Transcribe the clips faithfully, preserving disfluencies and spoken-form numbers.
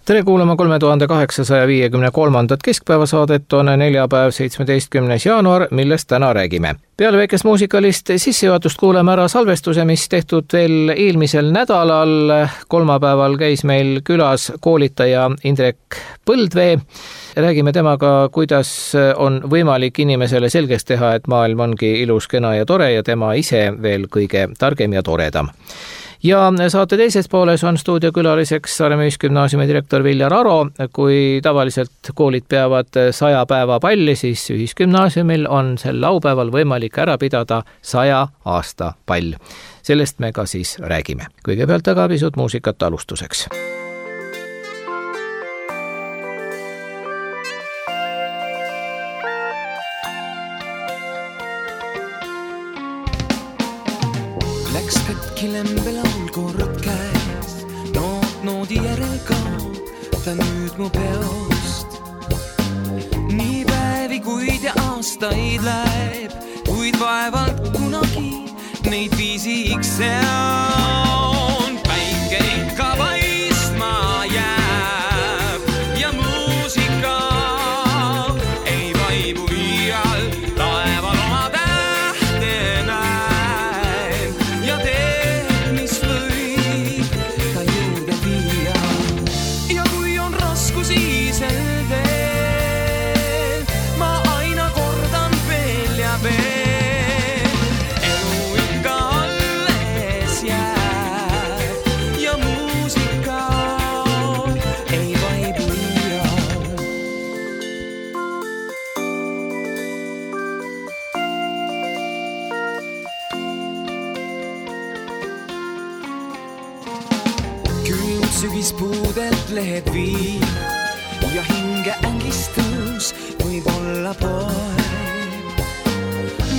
Tere kuulama kolme tuhande kaheksasaja viiekümne kolmandat keskpäevasaadet on neljapäev seitsmeteistkümnes jaanuar, millest täna räägime. Peale väikest muusikalist sissejuhatust kuuleme ära salvestuse, mis tehtud veel eelmisel nädalal. Kolmapäeval käis meil külas koolitaja Indrek Põldvee. Räägime temaga, kuidas on võimalik inimesele selgeks teha, et maailm ongi ilus, kena ja tore ja tema ise veel kõige targem ja toredam. Ja saate teises pooles on stuudiokülaliseks Saaremaa Ühisgümnaasiumi direktor Viljar Aro. Kui tavaliselt koolid peavad saja päeva palli, siis Ühisgümnaasiumil on sel laupäeval võimalik ära pidada saja aasta pall. Sellest me ka siis räägime. Kõigepealt aga pisut muusikat alustuseks. Läks katki lembelaul kord käes, noot noodi järel kaob, ta nüüd mu peost. Nii päevi, kuid ja aastaid läheb, kuid vaevalt kunagi neid viisiks seon. Päike ikka paistma jääb ja muusika ei vaibu iial, taeval oma tähte näen ja teed, mis võib ta juurde viia. Ja kui on raskusi sel teel, ma aina kordan veel ja veel. Elu ikka alles jääb ja muusika ei vaibu iial. Külm sügispuudelt lehed viib ja hinge ängistus võib olla poeb.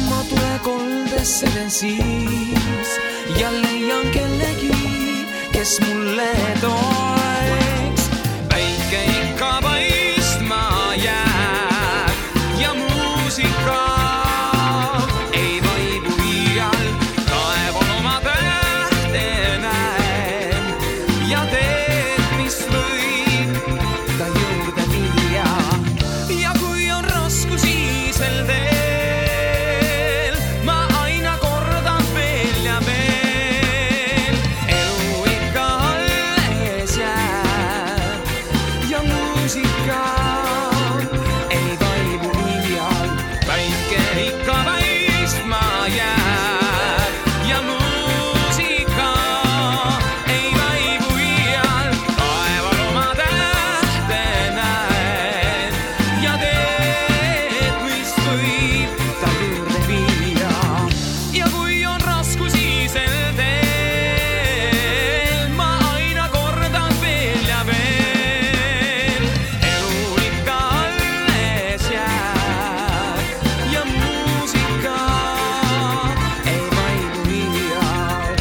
Ma tule koldesse siis ja leian kellegi, kes mulle toeks. Päike ikka paistma jääb ja muusika ei vaibu iial, taeval oma tähte näen ja teed, mis võib ta juurde viia. Ja kui on raskusi sel teel, ma aina kordan veel ja veel. Elu ikka alles jääb ja muusika ei vaibu iial. Päike ikka paistma jääb ja muusika ei vaibu iial, taeval oma tähte näen ja teed, mis võib ta juurde viia. Ja kui on raskusi sel teel, ma aina kordan veel ja veel. Elu ikka alles jääb ja muusika ei vaibu iial.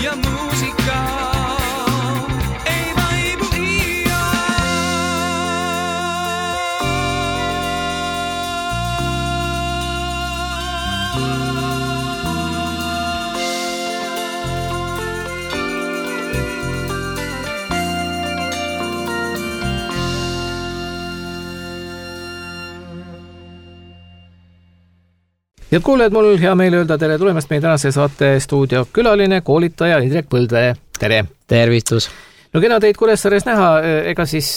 Ja muusika ei vaibu iial. Head kuulajad, mul hea meel öelda tere tulemast meie tänase saate stuudiokülaline koolitaja Indrek Põldvee. Tere! Tervitus! No kena teid Kuressaares näha, ega siis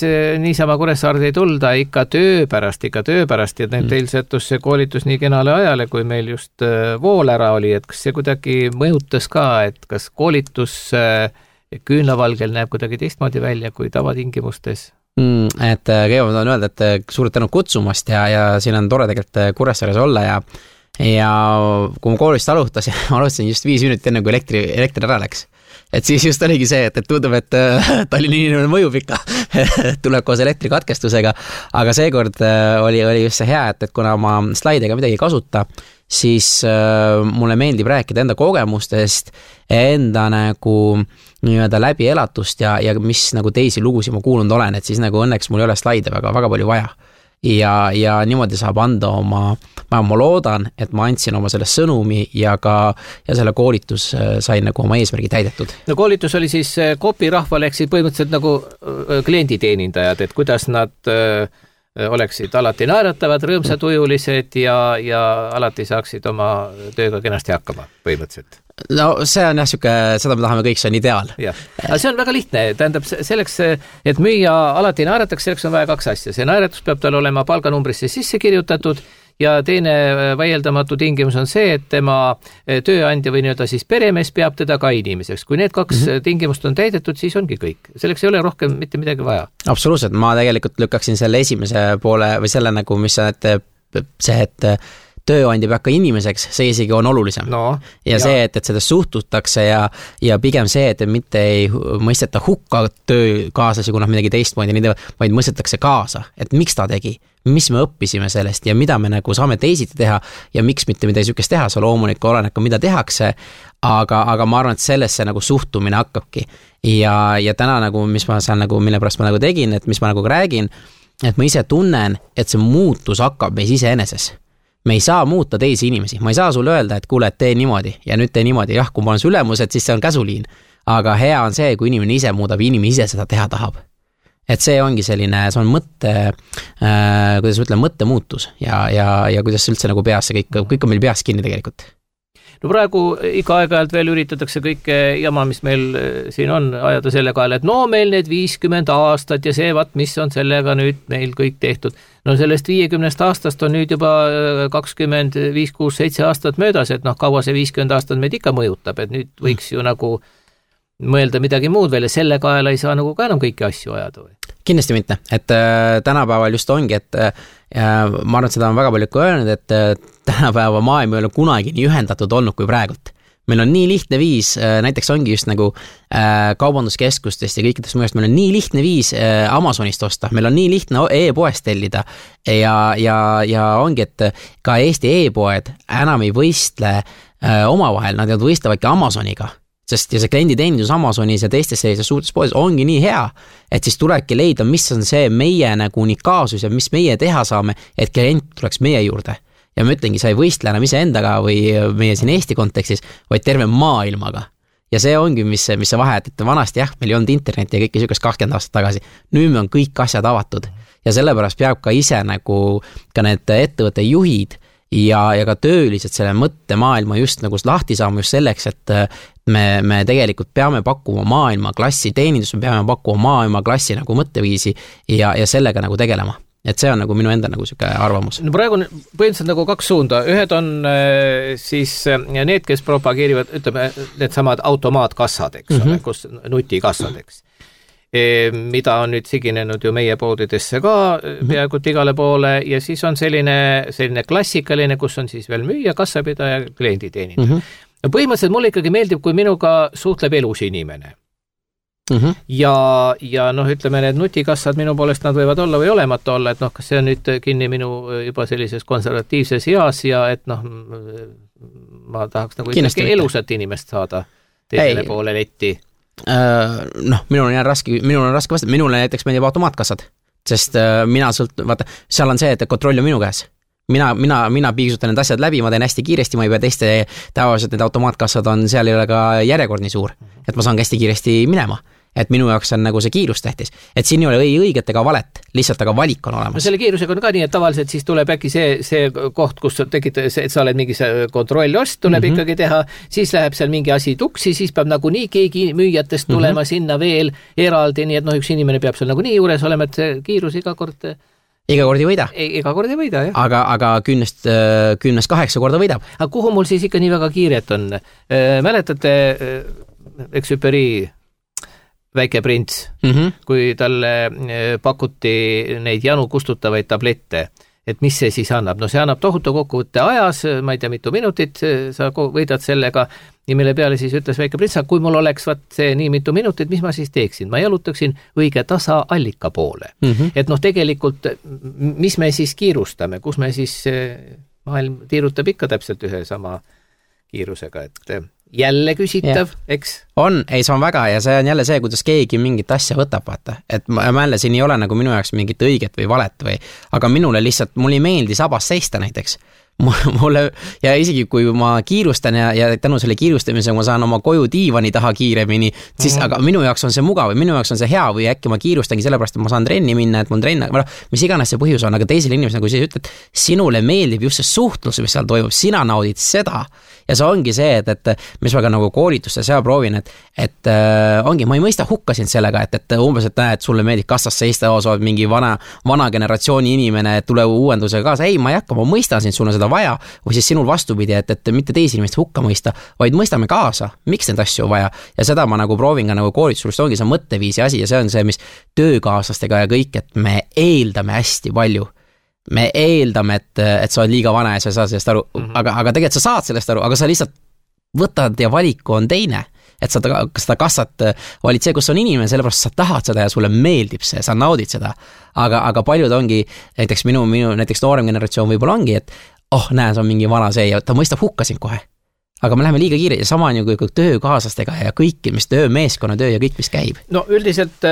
niisama Kuressaarde ei tulda ikka töö pärast, ikka töö pärast ja mm. teil sättus see koolitus nii kenale ajale, kui meil just vool ära oli, et kas see kuidagi mõjutas ka, et kas koolitus küünlavalgel näeb kuidagi teistmoodi välja kui tavatingimustes? Mm, et kõigepealt on öelda, et suured tänu kutsumast ja, ja siin on tore tegelikult Kuressaares olla ja ja kui ma koolist alustasin, alustasin just viis minutit enne, kui elektri, elektri ära läks. Et siis just oligi see, et, et tundub, et Tallinna inimene mõjub ikka, tuleb koos elektrikatkestusega, aga seekord oli, oli just see hea, et, et kuna ma slaidega midagi ei kasuta, siis äh, mulle meeldib rääkida enda kogemustest, enda nagu nii-öelda läbi elatust ja, ja mis nagu teisi lugusid ma kuulnud olen, et siis nagu õnneks mul ei ole slaide väga, väga palju vaja. ja, ja niimoodi saab anda oma, ma, ma loodan, et ma andsin oma selle sõnumi ja ka ja selle koolitus sai nagu oma eesmärgi täidetud. No koolitus oli siis Copi rahvale ehk siis põhimõtteliselt nagu klienditeenindajad, et kuidas nad oleksid alati naeratavad, rõõmsatujulised ja, ja alati saaksid oma tööga kenasti hakkama põhimõtteliselt. No see on jah, siuke, seda me tahame kõik, see on ideaal. Jah, aga see on väga lihtne, tähendab selleks, et müüa alati naerataks, selleks on vaja kaks asja. See naeratus peab tal olema palganumbrisse sisse kirjutatud ja teine vaieldamatu tingimus on see, et tema tööandja või nii-öelda siis peremees peab teda ka inimeseks. Kui need kaks mm-hmm. tingimust on täidetud, siis ongi kõik. Selleks ei ole rohkem mitte midagi vaja. Absoluutselt, ma tegelikult lükkaksin selle esimese poole või selle nagu, mis on, et see, et tööandja peab ka inimeseks, see isegi on olulisem. No, ja, ja see, et, et seda suhtutakse ja, ja pigem see, et mitte ei mõisteta hukka töökaaslasi, kui nad midagi teistmoodi nii teevad, vaid mõistetakse kaasa, et miks ta tegi, mis me õppisime sellest ja mida me nagu saame teisiti teha ja miks mitte midagi sükest teha, see loomulikult oleneb ka mida tehakse, aga, aga ma arvan, et sellesse nagu suhtumine hakkabki. Ja, ja täna nagu, mis ma saan nagu, mille pärast ma nagu tegin, et mis ma nagu räägin, et ma ise tunnen, et see muutus hakkab meis ise eneses. Me ei saa muuta teisi inimesi, ma ei saa sulle öelda, et kuule, et tee niimoodi ja nüüd tee niimoodi, jah, kui ma olen su ülemused, siis see on käsuliin, aga hea on see, kui inimene ise muudab, inimene ise seda teha tahab. Et see ongi selline, see on mõtte, äh, kuidas ütlen, mõtte muutus ja, ja, ja kuidas üldse nagu peas see kõik, kõik on meil peas kinni tegelikult. No praegu iga aeg-ajalt veel üritatakse kõike jama, mis meil siin on, ajada selle kaela, et no meil need viiskümmend aastat ja see, vat, mis on sellega nüüd meil kõik tehtud. No sellest viiekümnest aastast on nüüd juba kakskümmend viis, kuus, seitse aastat möödas, et noh, kaua see viiskümmend aastat meid ikka mõjutab, et nüüd võiks ju nagu mõelda midagi muud veel ja selle kaela ei saa nagu ka enam kõiki asju ajada või? Kindlasti mitte, et äh, tänapäeval just ongi, et äh, ma arvan, et seda on väga palju öelnud, et äh, tänapäeva maailm ei ole kunagi nii ühendatud olnud kui praegult. Meil on nii lihtne viis, äh, näiteks ongi just nagu äh, kaubanduskeskustest ja kõikidest mujast, meil on nii lihtne viis äh, Amazonist osta, meil on nii lihtne e-poest tellida ja, ja, ja ongi, et ka Eesti e-poed enam ei võistle äh, omavahel, nad võistlevad ka Amazoniga. Sest ja see klienditeenindus Amazonis ja teistes sellises suurtes poes ongi nii hea, et siis tulebki leida, mis on see meie nagu unikaalsus ja mis meie teha saame, et klient tuleks meie juurde. Ja ma ütlengi, sa ei võistle enam ise endaga või meie siin Eesti kontekstis, vaid terve maailmaga. Ja see ongi, mis, mis see vahe, et vanasti jah, meil ei olnud internet ja kõike sükest kakskümmend aastat tagasi. Nüüd me on kõik asjad avatud ja sellepärast peab ka ise nagu ka need ettevõtte juhid ja, ja ka töölised selle mõttemaailma just nagu lahti saama just selleks, et me, me tegelikult peame pakkuma maailma klassi teenindus, me peame pakkuma maailma klassi nagu mõtteviisi ja, ja sellega nagu tegelema. Et see on nagu minu enda nagu siuke arvamus. No praegu on põhimõtteliselt nagu kaks suunda. Ühed on siis need, kes propageerivad, ütleme, need samad automaatkassad, eks mm-hmm. ole, kus nutikassad, eks. Mida on nüüd siginenud ju meie poodidesse ka peaaegu igale poole ja siis on selline, selline klassikaline, kus on siis veel müüja, kassapidaja, klienditeenindaja. Mm-hmm. No põhimõtteliselt mulle ikkagi meeldib, kui minuga suhtleb elus inimene. Mm-hmm. Ja, ja noh, ütleme, need nutikassad minu poolest nad võivad olla või olemata olla, et noh, kas see on nüüd kinni minu juba sellises konservatiivses eas ja et noh, ma tahaks nagu ikkagi elusat inimest saada teisele Ei. poole letti. Noh, minul on, raske, minul on raske vastata, minule näiteks meeldib automaatkassad, sest mina sõlt, vaata, seal on see, et kontroll on minu käes. Mina, mina, mina piigsutan need asjad läbi, ma teen hästi kiiresti, ma ei pea teiste tavaliselt need automaatkassad on, seal ei ole ka järjekord nii suur, et ma saan hästi kiiresti minema. Et minu jaoks on nagu see kiirus tähtis. Et siin ei ole õiget ega valet, lihtsalt aga valik on olemas. No selle kiirusega on ka nii, et tavaliselt siis tuleb äkki see, see koht, kus tegid, et sa oled mingi kontrollost, tuleb mm-hmm. ikkagi teha, siis läheb seal mingi asi tuksi, siis peab nagu nii keegi müüjatest tulema mm-hmm. sinna veel eraldi, nii et noh, üks inimene peab seal nagu nii juures olema, et see kiirus iga kord... Iga kord ei võida. Iga kord ei võida, jah. Aga, aga kümnest, kümnest kaheksa korda võidab. Aga kuhu mul siis ikka nii väga kiiret on? Mäletate Exupéry Väike prints, mm-hmm. kui talle pakuti neid janu kustutavaid tablette, et mis see siis annab? No see annab tohutu kokkuvõtte ajas, ma ei tea, mitu minutit sa võidad sellega, ja mille peale siis ütles Väike prints, kui mul oleks vaat see nii mitu minutit, mis ma siis teeksin? Ma jalutaksin õige tasa allika poole. Mm-hmm. Et noh, tegelikult, mis me siis kiirustame, kus me siis, maailm tiirutab ikka täpselt ühe sama kiirusega, et jälle küsitav, eks? On, ei see on väga ja see on jälle see, kuidas keegi mingit asja võtab, vaata. Et ma jälle siin ei ole nagu minu jaoks mingit õiget või valet või, aga minule lihtsalt, mul ei meeldi sabas seista näiteks. Mulle, ja isegi kui ma kiirustan ja, ja tänu selle kiirustamise ma saan oma koju diivani taha kiiremini, siis mm-hmm. aga minu jaoks on see mugav või minu jaoks on see hea või äkki ma kiirustangi sellepärast, et ma saan trenni minna, et mul trenn, mis iganes see põhjus on, aga teisel inimesel, nagu sa ütled, sinule meeldib just see suhtlus, mis seal toimub, sina naudid seda ja see ongi see, et, et mis ma ka nagu koolituste seal proovin, et, et äh, ongi, ma ei mõista hukka sind sellega, et, et umbes, et näed, sulle meeldib kassas seista, sa oled mingi vana, vana generatsiooni inimene, et tule uuendusega kaasa, ei, ma ei hakka, ma mõistan sind, sul on seda vaja, või siis sinul vastupidi, et, et mitte teisi inimest hukka mõista, vaid mõistame kaasa, miks neid asju vaja ja seda ma nagu proovin ka nagu koolitusest, ongi see mõtteviisi asi ja see on see, mis töökaaslastega ja kõik, et me eeldame hästi palju. Me eeldame, et, et sa oled liiga vana ja sa saad sellest aru, mm-hmm. aga, aga tegelikult sa saad sellest aru, aga sa lihtsalt võtad ja valiku on teine. Et sa ta, seda kassat valid see, kus on inimene, sellepärast sa tahad seda ja sulle meeldib see, sa naudid seda. Aga, aga paljud ongi, näiteks minu, minu näiteks noorem generatsioon võib-olla ongi, et oh, näe, see on mingi vana see ja ta mõistab hukka sind kohe. Aga me läheme liiga kiire ja sama on ju kui töökaaslastega ja kõik, mis töö, meeskonnatöö ja kõik, mis käib. No üldiselt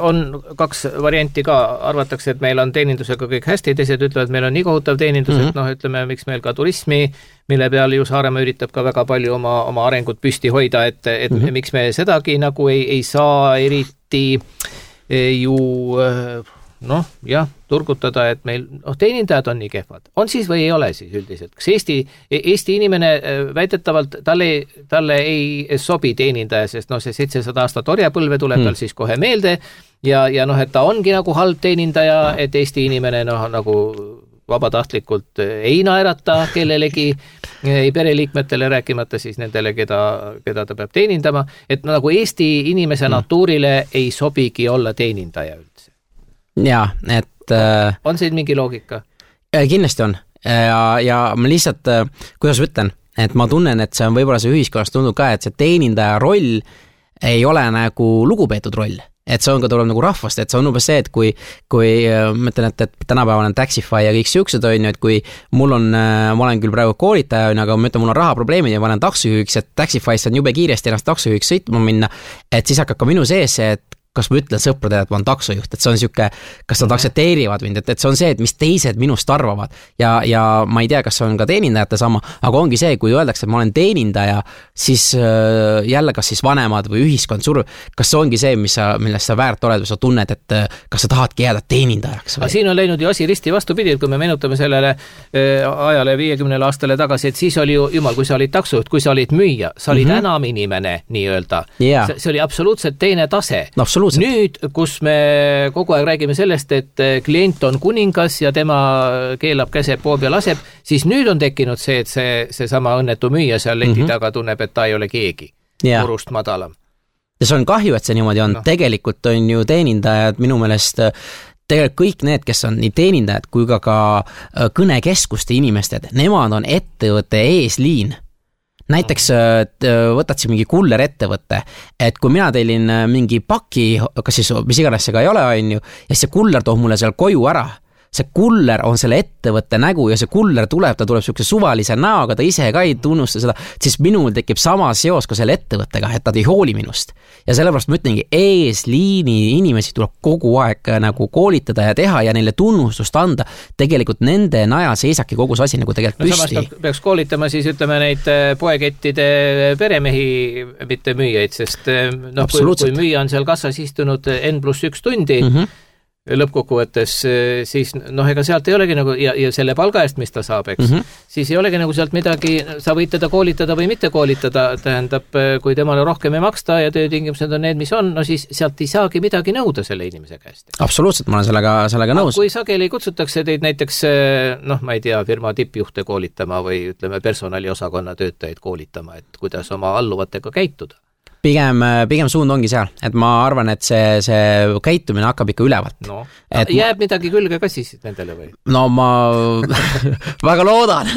on kaks varianti ka, arvatakse, et meil on teenindusega kõik hästi, teised ütlevad, et meil on nii kohutav teenindus, mm-hmm. et noh, ütleme, miks meil ka turismi, mille peal ju Saaremaa üritab ka väga palju oma, oma arengut püsti hoida, et, et mm-hmm. miks me sedagi nagu ei, ei saa eriti ju noh, jah, turgutada, et meil noh, teenindajad on nii kehvad. On siis või ei ole siis üldiselt? Kas Eesti, Eesti inimene väidetavalt, talle, talle ei sobi teenindaja, sest noh, see seitsesada aastat orjapõlve tuleb hmm. tal siis kohe meelde ja, ja noh, et ta ongi nagu halb teenindaja, et Eesti inimene noh, nagu vabatahtlikult ei naerata kellelegi, ei pereliikmetele rääkimata siis nendele, keda, keda ta peab teenindama, et nagu Eesti inimese hmm. natuurile ei sobigi olla teenindaja üldse. Jaa, et äh, on siin mingi loogika? Kindlasti on ja, ja ma lihtsalt, kuidas ütlen, et ma tunnen, et see on võib-olla see ühiskonnas tundub ka, et see teenindaja roll ei ole nagu lugupeetud roll, et see on ka tuleb nagu rahvast, et see on umbes see, et kui, kui ma ütlen, et, et tänapäeval on Taxify ja kõik siuksed on ju, et kui mul on, ma olen küll praegu koolitaja, aga ma ütlen, mul on rahaprobleemid ja ma olen taksojuhiks, et Taxify's on jube kiiresti ennast taksojuhiks sõitma minna, et siis hakkab ka minu sees see, et kas ma ütlen sõpradele, et ma olen taksojuht, et see on siuke, kas nad aktsepteerivad mind, et, et see on see, et mis teised minust arvavad ja, ja ma ei tea, kas see on ka teenindajate sama, aga ongi see, kui öeldakse, et ma olen teenindaja, siis äh, jälle kas siis vanemad või ühiskond surub, kas see ongi see, mis sa, millest sa väärt oled või sa tunned, et kas sa tahadki jääda teenindajaks? Aga siin on läinud ju asi risti vastupidi, kui me menutame sellele äh, ajale viiekümnele aastale tagasi, et siis oli ju, jumal, kui sa olid taksojuht, kui sa olid müüja, sa olid mm-hmm. enam inimene nii-öelda. Yeah. See, see oli absoluutselt teine tase. No, absoluutselt. Nüüd, kus me kogu aeg räägime sellest, et klient on kuningas ja tema keelab käse poob ja laseb, siis nüüd on tekkinud see, et see, see sama õnnetu müüja seal leti mm-hmm. taga tunneb, et ta ei ole keegi yeah. Urust madalam. Ja see on kahju, et see niimoodi on. No. Tegelikult on ju teenindajad minu meelest tegelikult kõik need, kes on nii teenindajad kui ka, ka kõnekeskuste inimesed, nemad on ettevõtte eesliin. Näiteks võtad siin mingi kuller ettevõtte, et kui mina teilin mingi paki, kas siis mis iganes see ka ei ole, on ju, ja see kuller toob mulle seal koju ära, see kuller on selle ettevõtte nägu ja see kuller tuleb, ta tuleb siukse suvalise näoga, ta ise ka ei tunnusta seda, siis minul tekib sama seos ka selle ettevõttega, et nad ei hooli minust. Ja sellepärast ma ütlengi, eesliini inimesi tuleb kogu aeg nagu koolitada ja teha ja neile tunnustust anda. Tegelikult nende najal seisaki kogu see asi nagu tegelikult no, püsti. Samas peaks koolitama siis ütleme neid poekettide peremehi, mitte müüjaid, sest noh, kui, kui müüja on seal kassas istunud N pluss üks tundi, mm-hmm. lõppkokkuvõttes, siis noh, ega sealt ei olegi nagu, ja, ja selle palga eest, mis ta saab, eks, mm-hmm. siis ei olegi nagu sealt midagi, sa võid teda koolitada või mitte koolitada, tähendab, kui temale rohkem ei maksta ja töötingimused on need, mis on, no siis sealt ei saagi midagi nõuda selle inimese käest. Absoluutselt, ma olen sellega, sellega nõus. Kui sageli kutsutakse teid näiteks, noh, ma ei tea, firma tippjuhte koolitama või ütleme, personaliosakonna töötajaid koolitama, et kuidas oma alluvatega käituda? Pigem, pigem suund ongi seal, et ma arvan, et see, see käitumine hakkab ikka ülevalt. No, et jääb ma... midagi külge ka siis nendele või? No ma väga loodan,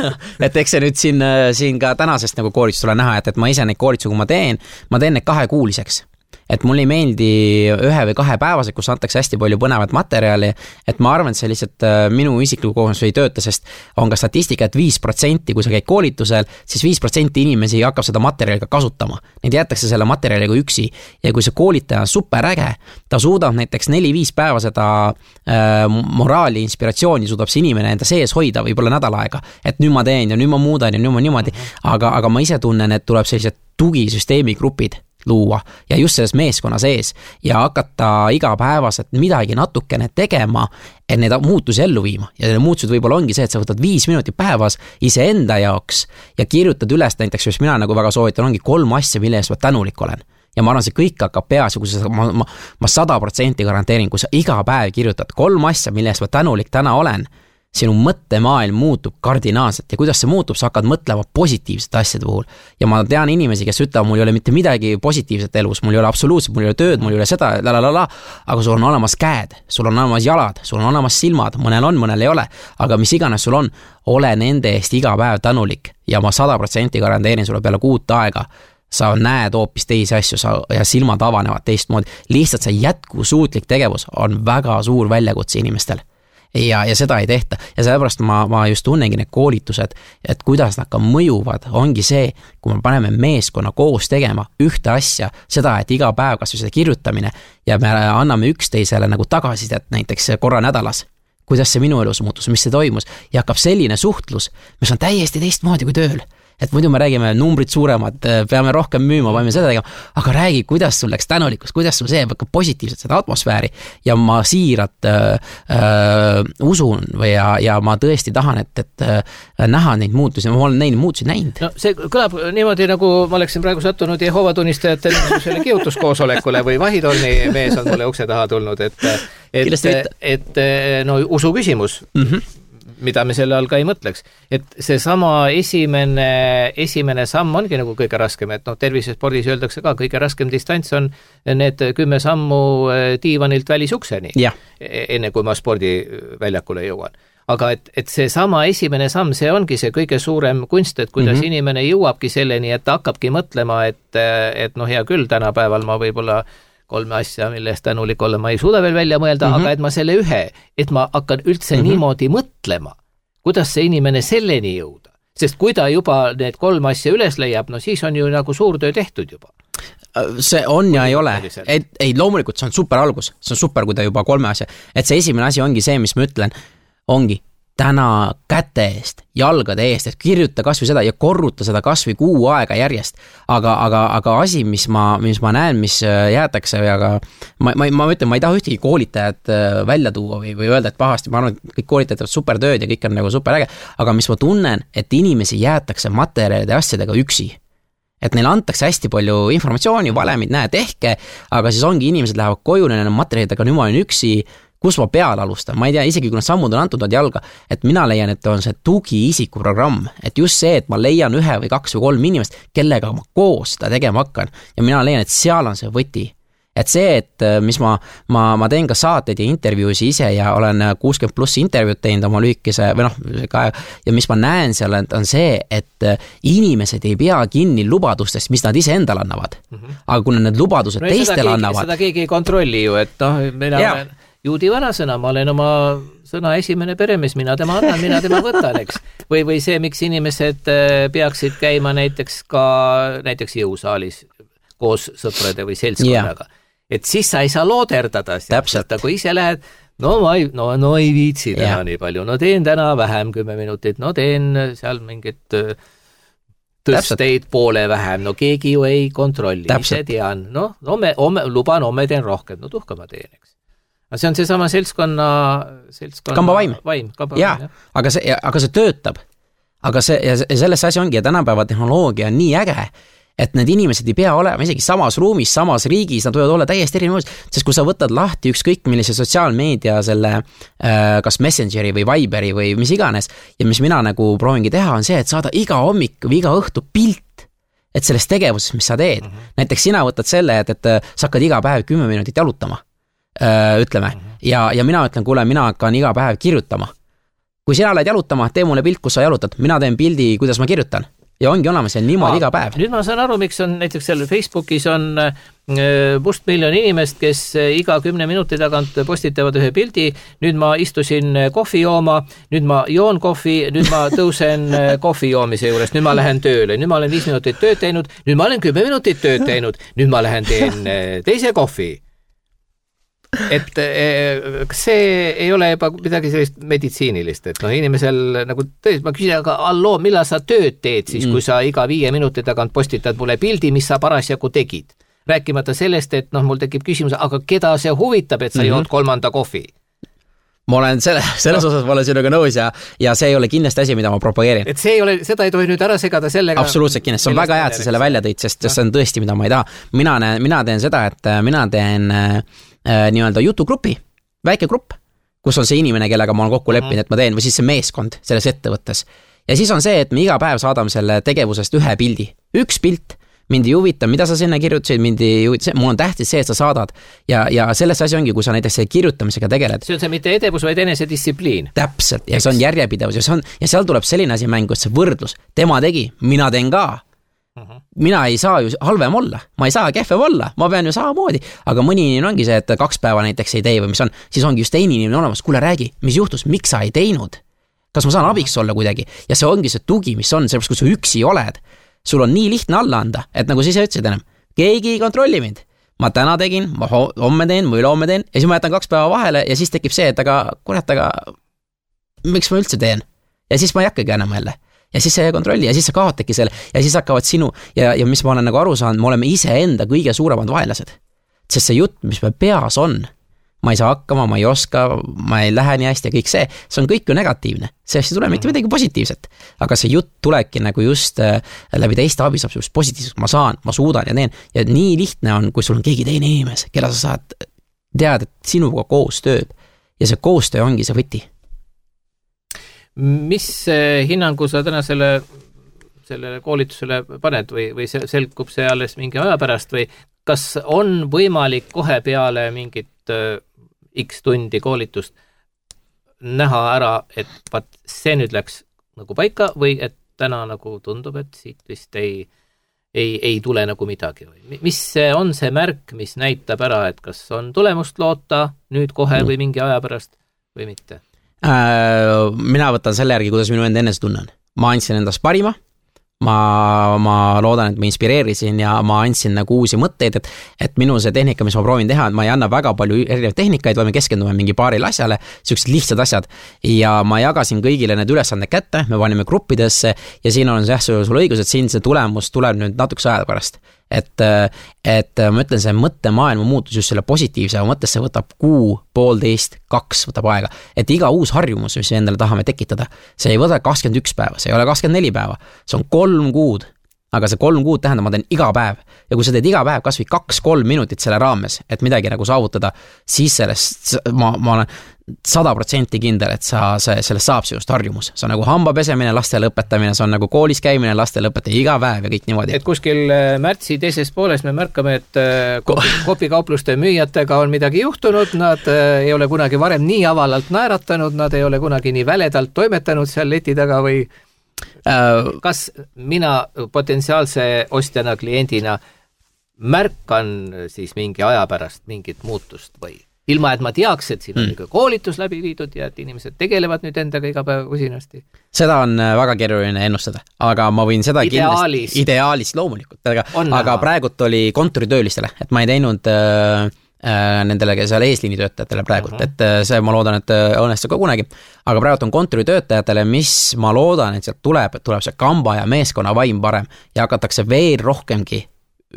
et eks see nüüd siin, siin ka tänasest nagu koolitust tuleb näha, et, et ma ise neid koolitusi, kui ma teen, ma teen neid kahekuuliseks. et mul ei meeldi ühe või kahe päevased, kus antakse hästi palju põnevat materjali, et ma arvan, et see lihtsalt minu isikliku kogemus ei tööta, sest on ka statistika, et viis protsenti, kui sa käid koolitusel, siis viis protsenti inimesi hakkab seda materjali ka kasutama. Neid jäetakse selle materjaliga üksi ja kui see koolitaja on super äge, ta suudab näiteks neli-viis päeva seda äh, moraali, inspiratsiooni suudab see inimene enda sees hoida võib-olla nädal aega, et nüüd ma teen ja nüüd ma muudan ja nüüd ma niimoodi, aga, aga ma ise tunnen, et tuleb sellised tugisüsteemi grupid luua ja just selles meeskonna sees ja hakata igapäevaselt midagi natukene tegema, et need muutusi ellu viima. Ja need muutused võib-olla ongi see, et sa võtad viis minutit päevas iseenda jaoks ja kirjutad üles näiteks, mis mina nagu väga soovitan, ongi kolm asja, mille eest ma tänulik olen. Ja ma arvan, see kõik hakkab peas ja kui sa, ma, ma, ma sada protsenti garanteerin, kui sa iga päev kirjutad kolm asja, mille eest ma tänulik täna olen, sinu mõttemaailm muutub kardinaalselt ja kuidas see muutub, sa hakkad mõtlema positiivsete asjade puhul. Ja ma tean inimesi, kes ütlevad, mul ei ole mitte midagi positiivset elus, mul ei ole absoluutselt, mul ei ole tööd, mul ei ole seda, lalalala, aga sul on olemas käed, sul on olemas jalad, sul on olemas silmad, mõnel on, mõnel ei ole, aga mis iganes sul on, ole nende eest iga päev tänulik ja ma sada protsenti garanteerin sulle peale kuut aega, sa näed hoopis teisi asju sa, ja silmad avanevad teistmoodi, lihtsalt see jätkusuutlik tegevus on väga suur väljakutse inimestel. Ja, ja seda ei tehta ja sellepärast ma, ma just tunnengi need koolitused, et kuidas nad ka mõjuvad, ongi see, kui me paneme meeskonna koos tegema ühte asja, seda, et iga päev kas või seda kirjutamine ja me anname üksteisele nagu tagasisidet näiteks korra nädalas, kuidas see minu elus muutus, mis see toimus ja hakkab selline suhtlus, mis on täiesti teistmoodi kui tööl. Et muidu me räägime numbrid suuremad, peame rohkem müüma, võime seda tegema, aga räägi, kuidas sul läks tänulikkus, kuidas sul see hakkab positiivselt seda atmosfääri ja ma siirat äh, äh, usun või ja, ja ma tõesti tahan, et, et äh, näha neid muutusi, ma olen neid muutusi näinud. No see kõlab niimoodi, nagu ma oleksin praegu sattunud Jehoova tunnistajate selle kihutuskoosolekule või vahitorni mees on mulle ukse taha tulnud, et, et, et no usu küsimus. Mhm. Mida me selle all ka ei mõtleks. Et see sama esimene, esimene samm ongi nagu kõige raskem, et no tervisespordis öeldakse ka, kõige raskem distants on need kümme sammu diivanilt välisukseni, ja. Enne kui ma spordiväljakule jõuan. Aga et, et see sama esimene samm, see ongi see kõige suurem kunst, et kuidas mm-hmm. inimene jõuabki selleni, et ta hakkabki mõtlema, et, et no hea küll, tänapäeval ma võib-olla kolme asja, mille eest tänulik olla, ma ei suuda veel välja mõelda, mm-hmm. aga et ma selle ühe, et ma hakkan üldse mm-hmm. niimoodi mõtlema, kuidas see inimene selleni jõuda. Sest kui ta juba need kolm asja üles leiab, no siis on ju nagu suur töö tehtud juba. See on ja ei ole. Et, ei, loomulikult see on super algus. See on super, kui ta juba kolme asja. Et see esimene asi ongi see, mis ma ütlen, ongi täna käte eest, jalgade eest, et kirjuta kas või seda ja korruta seda kas või kuu aega järjest. Aga, aga, aga asi, mis ma, mis ma näen, mis jäetakse, aga ma, ma, ma ütlen, ma ei taha ühtegi koolitajat välja tuua või, või öelda, et pahasti, ma arvan, et kõik koolitajad on super tööd ja kõik on nagu super äge, aga mis ma tunnen, et inimesi jäetakse materjalide asjadega üksi. Et neile antakse hästi palju informatsiooni, valemid, näe, tehke, aga siis ongi inimesed lähevad koju, neil on materjalid, aga nüüd ma olen üksi, kus ma peale alustan, ma ei tea, isegi kui nad sammud on antud nad jalga, et mina leian, et on see tugiisiku programm, et just see, et ma leian ühe või kaks või kolm inimest, kellega ma koos seda tegema hakkan ja mina leian, et seal on see võti. Et see, et mis ma, ma, ma teen ka saateid ja intervjuusi ise ja olen kuuskümmend pluss intervjuud teinud oma lühikese, või noh, ja mis ma näen seal, on see, et inimesed ei pea kinni lubadustest, mis nad ise endale annavad. Mm-hmm. Aga kui need lubadused no, teistele keegi, annavad... Seda keegi ei kontrolli ju, et noh, mina ja. olen juudi vanasõna, ma olen oma sõna esimene peremees, mina tema annan, mina tema võtan, eks. Või, või see, miks inimesed peaksid käima näiteks ka näiteks jõusaalis koos sõprade või seltskonnaga. Yeah. Et siis sa ei saa looderdada, et kui ise lähed, no ma ei, no, no ei viitsi täna yeah. nii palju, no teen täna vähem kümme minutit, no teen seal mingit tõsteid poole vähem, no keegi ju ei kontrolli, ise tean, no, no me, ome, luban, ome teen rohkem, no tuhka ma teen, eks. See on see sama seltskonna, seltskonna kamba vaim, vaim kamba ja, vaim, aga see, aga see töötab, aga see, ja selles asi ongi, ja tänapäeva tehnoloogia on nii äge, et need inimesed ei pea olema isegi samas ruumis, samas riigis, nad võivad olla täiesti erinevus, sest kui sa võtad lahti ükskõik millise sotsiaalmeedia selle kas Messengeri või Viberi või mis iganes, ja mis mina nagu proovingi teha, on see, et saada iga hommik või iga õhtu pilt, et sellest tegevusest, mis sa teed. Mm-hmm. Näiteks sina võtad selle, et, et sa hakkad iga päev kümme minutit jalutama, ütleme, mm-hmm. ja, ja mina ütlen, kuule, mina hakkan iga päev kirjutama. Kui sina lähed jalutama, tee mulle pilt, kus sa jalutad, mina teen pildi, kuidas ma kirjutan. ja ongi olemas ja niimoodi iga päev. Nüüd ma saan aru, miks on näiteks seal Facebookis on must miljon inimest, kes iga kümne minuti tagant postitavad ühe pildi. Nüüd ma istusin kohvi jooma, nüüd ma joon kohvi, nüüd ma tõusen kohvi joomise juures, nüüd ma lähen tööle, nüüd ma olen viis minutit tööd teinud, nüüd ma olen kümme minutit tööd teinud, nüüd ma lähen teen teise kohvi. Et kas see ei ole juba midagi sellist meditsiinilist, et noh, inimesel nagu tõesti, ma küsin, aga alloo, millal sa tööd teed siis, kui sa iga viie minuti tagant postitad mulle pildi, mis sa parasjagu tegid? Rääkimata sellest, et noh, mul tekib küsimus, aga keda see huvitab, et sa mm-hmm. jood kolmanda kohvi? Ma olen selle, selles osas ma olen sinuga nõus ja, ja see ei ole kindlasti asi, mida ma propageerin. Et see ei ole, seda ei tohi nüüd ära segada sellega. Absoluutselt kindlasti, see on väga hea, et sa selle välja tõid, sest no. see on tõesti, mida ma ei taha. Mina, mina teen seda, et mina teen äh, nii-öelda jutugrupi, väike grupp, kus on see inimene, kellega ma olen kokku leppinud, mm-hmm. et ma teen, või siis see meeskond selles ettevõttes. Ja siis on see, et me iga päev saadame selle tegevusest ühe pildi. Üks pilt, mind ei huvita, mida sa sinna kirjutasid, mind ei huvita, mul on tähtis see, et sa saadad. Ja, ja selles asi ongi, kui sa näiteks selle kirjutamisega tegeled. See on see mitte edevus, vaid enesedistsipliin. Täpselt, ja see on järjepidevus ja, see on, ja seal tuleb selline asi mängu, et see võrdlus. Tema tegi, mina teen ka. Uh-huh. Mina ei saa ju halvem olla, ma ei saa kehvem olla, ma pean ju samamoodi. Aga mõni inimene ongi see, et kaks päeva näiteks ei tee või mis on, siis ongi just teine inimene olemas, kuule räägi, mis juhtus, miks sa ei teinud? Kas ma saan abiks olla kuidagi? Ja see ongi see tugi, mis on, sellepärast kui sa üksi oled. Sul on nii lihtne alla anda, et nagu siis ütlesid enam, keegi ei kontrolli mind. Ma täna tegin, ma homme teen, või ülehomme teen, ja siis ma jätan kaks päeva vahele ja siis tekib see, et aga kurat, aga miks ma üldse teen? Ja siis ma ei hakkagi enam jälle. Ja siis see kontrolli ja siis sa kaotadki selle ja siis hakkavad sinu ja, ja mis ma olen nagu aru saanud, me oleme ise enda kõige suuremad vaenlased. Sest see jutt, mis me peas on, ma ei saa hakkama, ma ei oska, ma ei lähe nii hästi ja kõik see, see on kõik ju negatiivne. See ei tule mitte midagi positiivset. Aga see jutt tulebki nagu just äh, läbi teiste abi saab just positiivselt, ma saan, ma suudan ja teen. Ja nii lihtne on, kui sul on keegi teine inimes, kella sa saad teada, et sinuga koos tööb. Ja see koostöö ongi see võti. Mis hinnangu sa täna selle, sellele koolitusele paned või, või selgub see alles mingi aja pärast või kas on võimalik kohe peale mingit äh, X tundi koolitust näha ära, et vaat see nüüd läks nagu paika või et täna nagu tundub, et siit vist ei, ei, ei tule nagu midagi või mis on see märk, mis näitab ära, et kas on tulemust loota nüüd kohe või mingi aja pärast või mitte? Äh, mina võtan selle järgi, kuidas minu enda enese tunnen. Ma andsin endast parima, ma, ma loodan, et ma inspireerisin ja ma andsin nagu uusi mõtteid, et, et minu see tehnika, mis ma proovin teha, et ma ei anna väga palju erinevaid tehnikaid, vaid me keskendume mingi paaril asjale, sellised lihtsad asjad ja ma jagasin kõigile need ülesanded kätte, me panime gruppidesse ja siin on jah, sul õigus, et siin see tulemus tuleb nüüd natukese aja pärast. Et, et ma ütlen, see mõttemaailma muutus just selle positiivse mõttes, see võtab kuu, poolteist, kaks võtab aega. Et iga uus harjumus, mis endale tahame tekitada, see ei võta kakskümmend üks päeva, see ei ole kakskümmend neli päeva, see on kolm kuud. Aga see kolm kuud tähendab, ma teen iga päev. Ja kui sa teed iga päev kas või kaks-kolm minutit selle raames, et midagi nagu saavutada, siis sellest ma, ma olen sada protsenti kindel, et sa, see, sellest saab sinust harjumus. See on nagu hamba pesemine, lastele õpetamine, see on nagu koolis käimine, lastele õpetamine iga päev ja kõik niimoodi. Et kuskil märtsi teises pooles me märkame, et kopikaupluste müüjatega on midagi juhtunud, nad ei ole kunagi varem nii avalalt naeratanud, nad ei ole kunagi nii väledalt toimetanud seal leti taga või kas mina potentsiaalse ostjana, kliendina märkan siis mingi aja pärast mingit muutust või ilma, et ma teaks, et siin on mm. koolitus läbi viidud ja et inimesed tegelevad nüüd endaga iga päev usinasti? Seda on väga keeruline ennustada, aga ma võin seda ideaalis, kindlasti, ideaalis loomulikult, aga, aga praegult oli kontoritöölistele, et ma ei teinud äh, nendele seal eesliinitöötajatele praegult, uh-huh. et see ma loodan, et õnnestub ka kunagi, aga praegult on kontoritöötajatele, mis ma loodan, et sealt tuleb, et tuleb see kamba ja meeskonna vaim parem ja hakatakse veel rohkemgi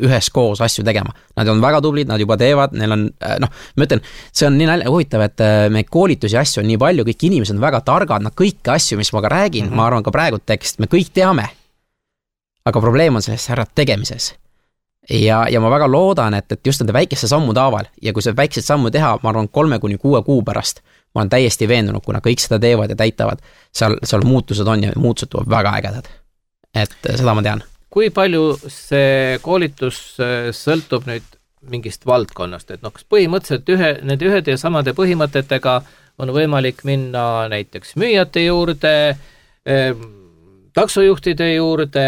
ühes koos asju tegema. Nad on väga tublid, nad juba teevad, neil on, noh, ma ütlen, see on nii nalja, huvitav, et me koolitusi asju on nii palju, kõik inimesed on väga targad, nad kõiki asju, mis ma ka räägin, uh-huh. ma arvan ka praegu tekst, me kõik teame. Aga probleem on selles ära tegemises. Ja, ja ma väga loodan, et, et just nende väikeste sammu taaval ja kui see väiksed sammu teha, ma arvan kolme kuni kuue kuu pärast, ma olen täiesti veendunud, kuna kõik seda teevad ja täitavad, seal, seal muutused on ja muutused tuleb väga ägedad. Et seda ma tean. Kui palju see koolitus sõltub nüüd mingist valdkonnast, et noh, kas põhimõtteliselt ühe, need ühed ja samade põhimõtetega on võimalik minna näiteks müüjate juurde, taksojuhtide juurde,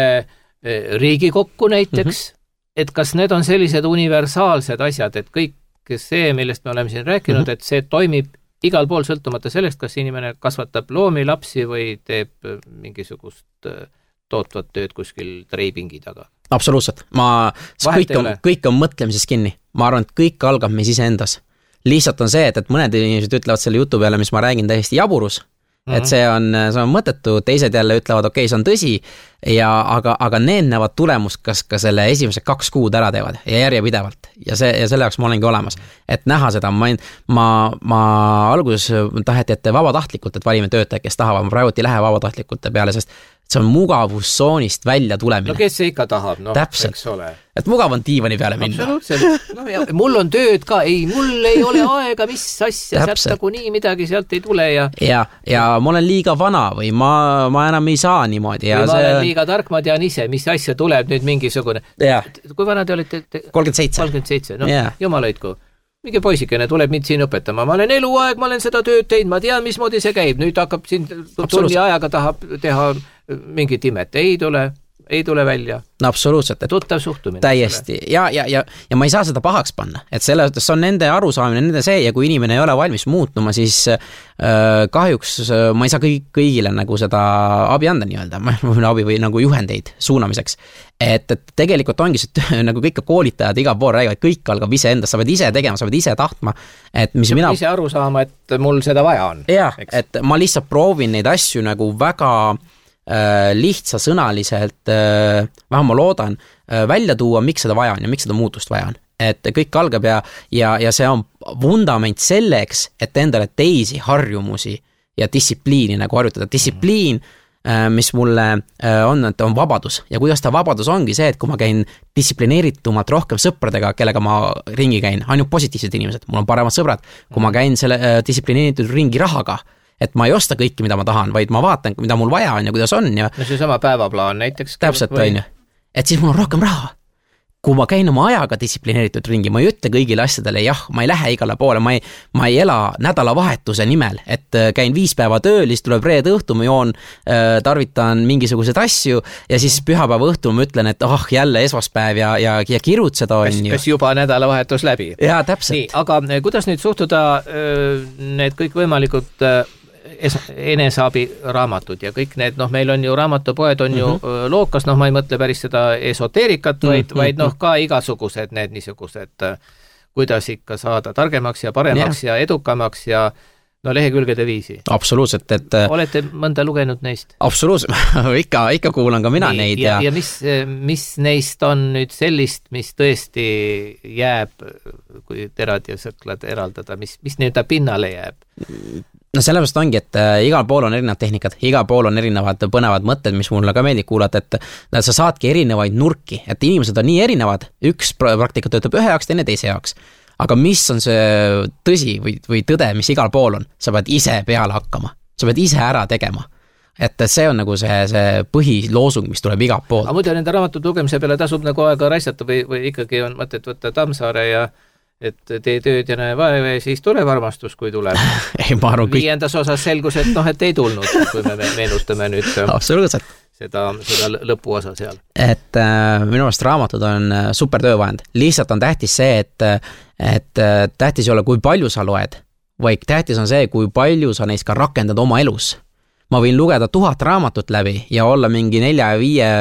Riigikokku näiteks, mm-hmm. et kas need on sellised universaalsed asjad, et kõik see, millest me oleme siin rääkinud, mm-hmm. et see toimib igal pool sõltumata sellest, kas inimene kasvatab loomi, lapsi või teeb mingisugust tootvat tööd kuskil treipingi taga. Absoluutselt. Ma, kõik on, kõik on mõtlemises kinni. Ma arvan, et kõik algab meis iseendas. Lihtsalt on see, et, et mõned inimesed ütlevad selle jutu peale, mis ma räägin täiesti jaburus, mm-hmm. et see on, see on mõttetu, teised jälle ütlevad, okei, okay, see on tõsi, ja, aga, aga need näevad tulemust, kas ka selle esimese kaks kuud ära teevad ja järjepidevalt. Ja, see, ja selle jaoks ma olengi olemas. Et näha seda, ma, ma, ma alguses taheti, et vabatahtlikult, et valime töötaja, kes tahavad, ma praegu ei lähe vabatahtlikute peale, sest see on mugavustsoonist välja tulemine. No kes see ikka tahab, no, täpselt. Eks ole. Et mugav on diivani peale minna. Absoluutselt. No, ja, mul on tööd ka, ei, mul ei ole aega, mis asja, sealt nagu nii midagi sealt ei tule. Ja, ja, ja ma olen liiga vana või ma, ma enam ei saa niimoodi. Ja või ma see... olen liiga tark, ma tean ise, mis asja tuleb nüüd mingisugune. Ja. Kui vana te olite? kolmkümmend seitse. kolmkümmend seitse, no ja. Jumal hoidku. Mingi poisikene tuleb mind siin õpetama. Ma olen eluaeg, ma olen seda tööd teinud, ma tean, mismoodi see käib. Nüüd hakkab siin tunni ajaga tahab teha mingit imet. Ei tule, ei tule välja. No absoluutselt. Tuttav suhtumine. Täiesti. Ja, ja, ja, ja ma ei saa seda pahaks panna. Et selle, see on nende arusaamine, nende see, ja kui inimene ei ole valmis muutuma, siis äh, kahjuks äh, ma ei saa kõik, kõigile nagu seda abi anda nii-öelda, abi või nagu juhendeid suunamiseks. Et, et tegelikult ongi see, nagu kõik koolitajad igal pool räägivad, kõik algab ise endast, sa pead ise tegema, sa pead ise tahtma. Et mis sa mina... ise aru saama, et mul seda vaja on. Jah, et ma lihtsalt proovin neid asju nagu väga äh, lihtsasõnaliselt, äh, vähem ma loodan, äh, välja tuua, miks seda vaja on ja miks seda muutust vaja on. Et kõik algab ja, ja, ja see on vundament selleks, et endale teisi harjumusi ja distsipliini nagu harjutada. Distsipliin mm. mis mulle on, et on vabadus. Ja kuidas ta vabadus ongi see, et kui ma käin distsiplineeritumalt rohkem sõpradega, kellega ma ringi käin, ainult positiivsed inimesed, mul on paremad sõbrad, kui ma käin selle distsiplineeritud ringi rahaga, et ma ei osta kõiki, mida ma tahan, vaid ma vaatan, mida mul vaja on ja kuidas on. Ja... No see sama päevaplaan näiteks. Täpselt või... on ju. Et siis mul on rohkem raha. Kui ma käin oma ajaga distsiplineeritud ringi, ma ei ütle kõigile asjadele, jah, ma ei lähe igale poole, ma ei, ma ei ela nädalavahetuse nimel, et käin viis päeva tööl, siis tuleb reede õhtu, ma joon, tarvitan mingisugused asju ja siis pühapäeva õhtu ma ütlen, et ah, jälle esmaspäev ja, ja, ja kirutseda on kas, ju. Kas juba nädalavahetus läbi? Jaa, täpselt. Nii, aga kuidas nüüd suhtuda need kõik võimalikud enesaabi raamatud ja kõik need, noh, meil on ju raamatupoed on ju mm-hmm. lookas, noh, ma ei mõtle päris seda esoteerikat, vaid, mm-hmm. vaid noh, ka igasugused need niisugused, kuidas ikka saada targemaks ja paremaks yeah. ja edukamaks ja no lehekülgede viisi. Absoluutselt, et... Olete mõnda lugenud neist? Absoluutselt, ikka, ikka kuulan ka mina Nii, neid. Ja, ja, ja mis, mis neist on nüüd sellist, mis tõesti jääb, kui terad ja sõklad eraldada, mis, mis nüüd pinnale jääb? No sellepärast ongi, et igal pool on erinevad tehnikad, igal pool on erinevad põnevad mõtted, mis mulle ka meeldib kuulata, et sa saadki erinevaid nurki, et inimesed on nii erinevad, üks praktika töötab ühe jaoks, teine teise jaoks. Aga mis on see tõsi või, või tõde, mis igal pool on? Sa pead ise peale hakkama, sa pead ise ära tegema. Et see on nagu see, see põhiloosung, mis tuleb igal pool. Aga muidu nende raamatute lugemise peale tasub nagu aega raisata või, või ikkagi on mõtet võtta Tammsaare ja et tee tööd ja näe vaeva ja siis tuleb armastus, kui tuleb. ei, ma arvan, kõik... Viiendas osas selgus, et noh, et ei tulnud, kui me meenutame nüüd Absoluutselt. seda, seda lõpuosa seal. Et äh, minu meelest raamatud on super töövahend. Lihtsalt on tähtis see, et, et tähtis ei ole, kui palju sa loed, vaid tähtis on see, kui palju sa neist ka rakendad oma elus. Ma võin lugeda tuhat raamatut läbi ja olla mingi nelja ja viie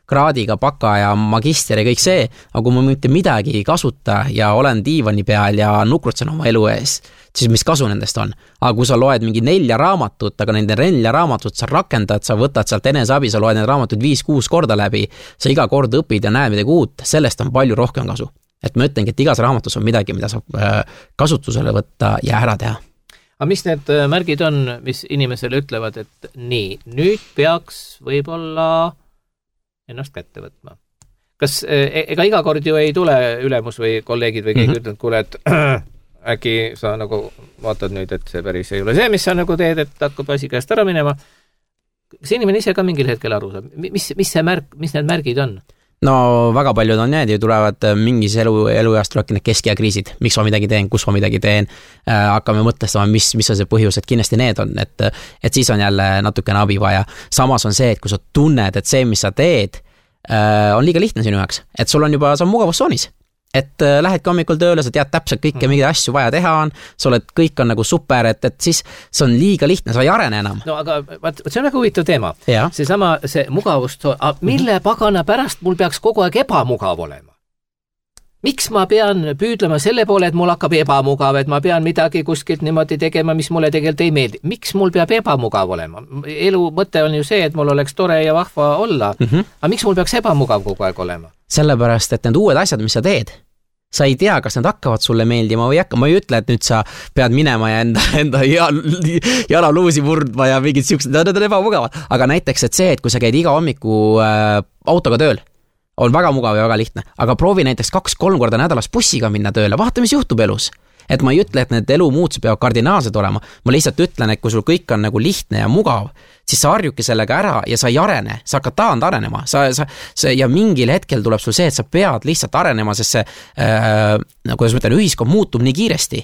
kraadiga baka ja magister ja kõik see, aga kui ma mitte midagi ei kasuta ja olen diivani peal ja nukrutsen oma elu ees, siis mis kasu nendest on? Aga kui sa loed mingi nelja raamatut, aga nende nelja raamatut sa rakendad, sa võtad sealt eneseabi, sa loed need raamatud viis-kuus korda läbi, sa iga kord õpid ja näed midagi uut, sellest on palju rohkem kasu. Et ma ütlengi, et igas raamatus on midagi, mida saab kasutusele võtta ja ära teha. Aga mis need märgid on, mis inimesele ütlevad, et nii, nüüd peaks võib-olla ennast kätte võtma? Kas ega iga kord ju ei tule ülemus või kolleegid või keegi mm-hmm. ütlenud, kuule, et äkki sa nagu vaatad nüüd, et see päris ei ole see, mis sa nagu teed, et hakkab asi käest ära minema. Kas inimene ise ka mingil hetkel aru saab? Mis, mis, see märk, mis need märgid on? no väga paljud on need ju tulevad mingis elu, elueast tulebki need kesk- ja kriisid, miks ma midagi teen, kus ma midagi teen, äh, hakkame mõtlestama, mis, mis on see põhjus, et kindlasti need on, et, et siis on jälle natukene abi vaja. Samas on see, et kui sa tunned, et see, mis sa teed, äh, on liiga lihtne sinu jaoks, et sul on juba, sa on mugavussoonis. Et äh, lähed hommikul tööle, sa tead täpselt kõike, mingeid asju vaja teha on, sa oled, kõik on nagu super, et, et siis see on liiga lihtne, sa ei arene enam. No aga vaat, see on väga huvitav teema. Ja. See sama, see mugavust, mille pagana pärast mul peaks kogu aeg ebamugav olema? Miks ma pean püüdlema selle poole, et mul hakkab ebamugav, et ma pean midagi kuskilt niimoodi tegema, mis mulle tegelikult ei meeldi? Miks mul peab ebamugav olema? Elu mõte on ju see, et mul oleks tore ja vahva olla. Mm-hmm. Aga miks mul peaks ebamugav kogu aeg olema? Sellepärast, et need uued asjad, mis sa teed, sa ei tea, kas need hakkavad sulle meeldima või hakka. Ma ei ütle, et nüüd sa pead minema ja enda, enda jalaluusi murdma ja mingid siuksed, need on ebamugavad. Aga näiteks, et see, et kui sa käid iga hommiku äh, autoga tööl, on väga mugav ja väga lihtne. Aga proovi näiteks kaks-kolm korda nädalas bussiga minna tööle, vaata, mis juhtub elus. Et ma ei ütle, et need elu muutused peavad kardinaalsed olema. Ma lihtsalt ütlen, et kui sul kõik on nagu lihtne ja mugav, siis sa harjuki sellega ära ja sa ei arene, sa hakkad taand arenema. Sa, sa, sa, ja mingil hetkel tuleb sul see, et sa pead lihtsalt arenema, sest see, äh, kuidas ma ütlen, ühiskond muutub nii kiiresti.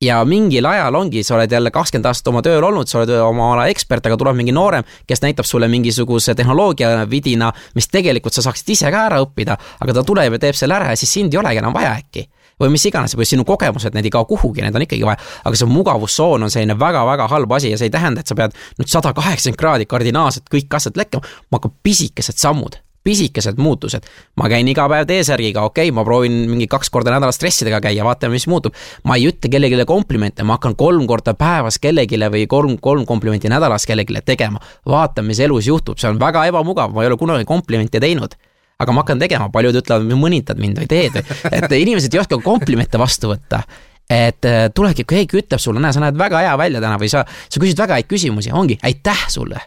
Ja mingil ajal ongi, sa oled jälle kakskümmend aastat oma tööl olnud, sa oled oma ala ekspert, aga tuleb mingi noorem, kes näitab sulle mingisuguse tehnoloogia vidina, mis tegelikult sa saaksid ise ka ära õppida, aga ta tuleb ja teeb selle ära ja siis sind ei olegi enam vaja äkki. Või mis iganes, või sinu kogemused, need ei kao kuhugi, need on ikkagi vaja, aga see mugavussoon on selline väga-väga halb asi ja see ei tähenda, et sa pead nüüd sada kaheksakümmend kraadi kardinaalselt kõik asjad lekkama, ma hakkab pisikesed sammud, pisikesed muutused. Ma käin iga päev T-särgiga, okei, okay, ma proovin mingi kaks korda nädala stressidega käia, vaatame, mis muutub. Ma ei ütle kellegile komplimente, ma hakkan kolm korda päevas kellegile või kolm, kolm komplimenti nädalas kellegile tegema. Vaatame, mis elus juhtub, see on väga ebamugav, ma ei ole kunagi komplimente teinud. Aga ma hakkan tegema, paljud ütlevad, mõnitad mind või teed, et inimesed ei oska komplimente vastu võtta, et tulegi, kui keegi ütleb sulle, näe, sa näed väga hea välja täna või sa, sa küsid väga häid küsimusi, ongi, aitäh sulle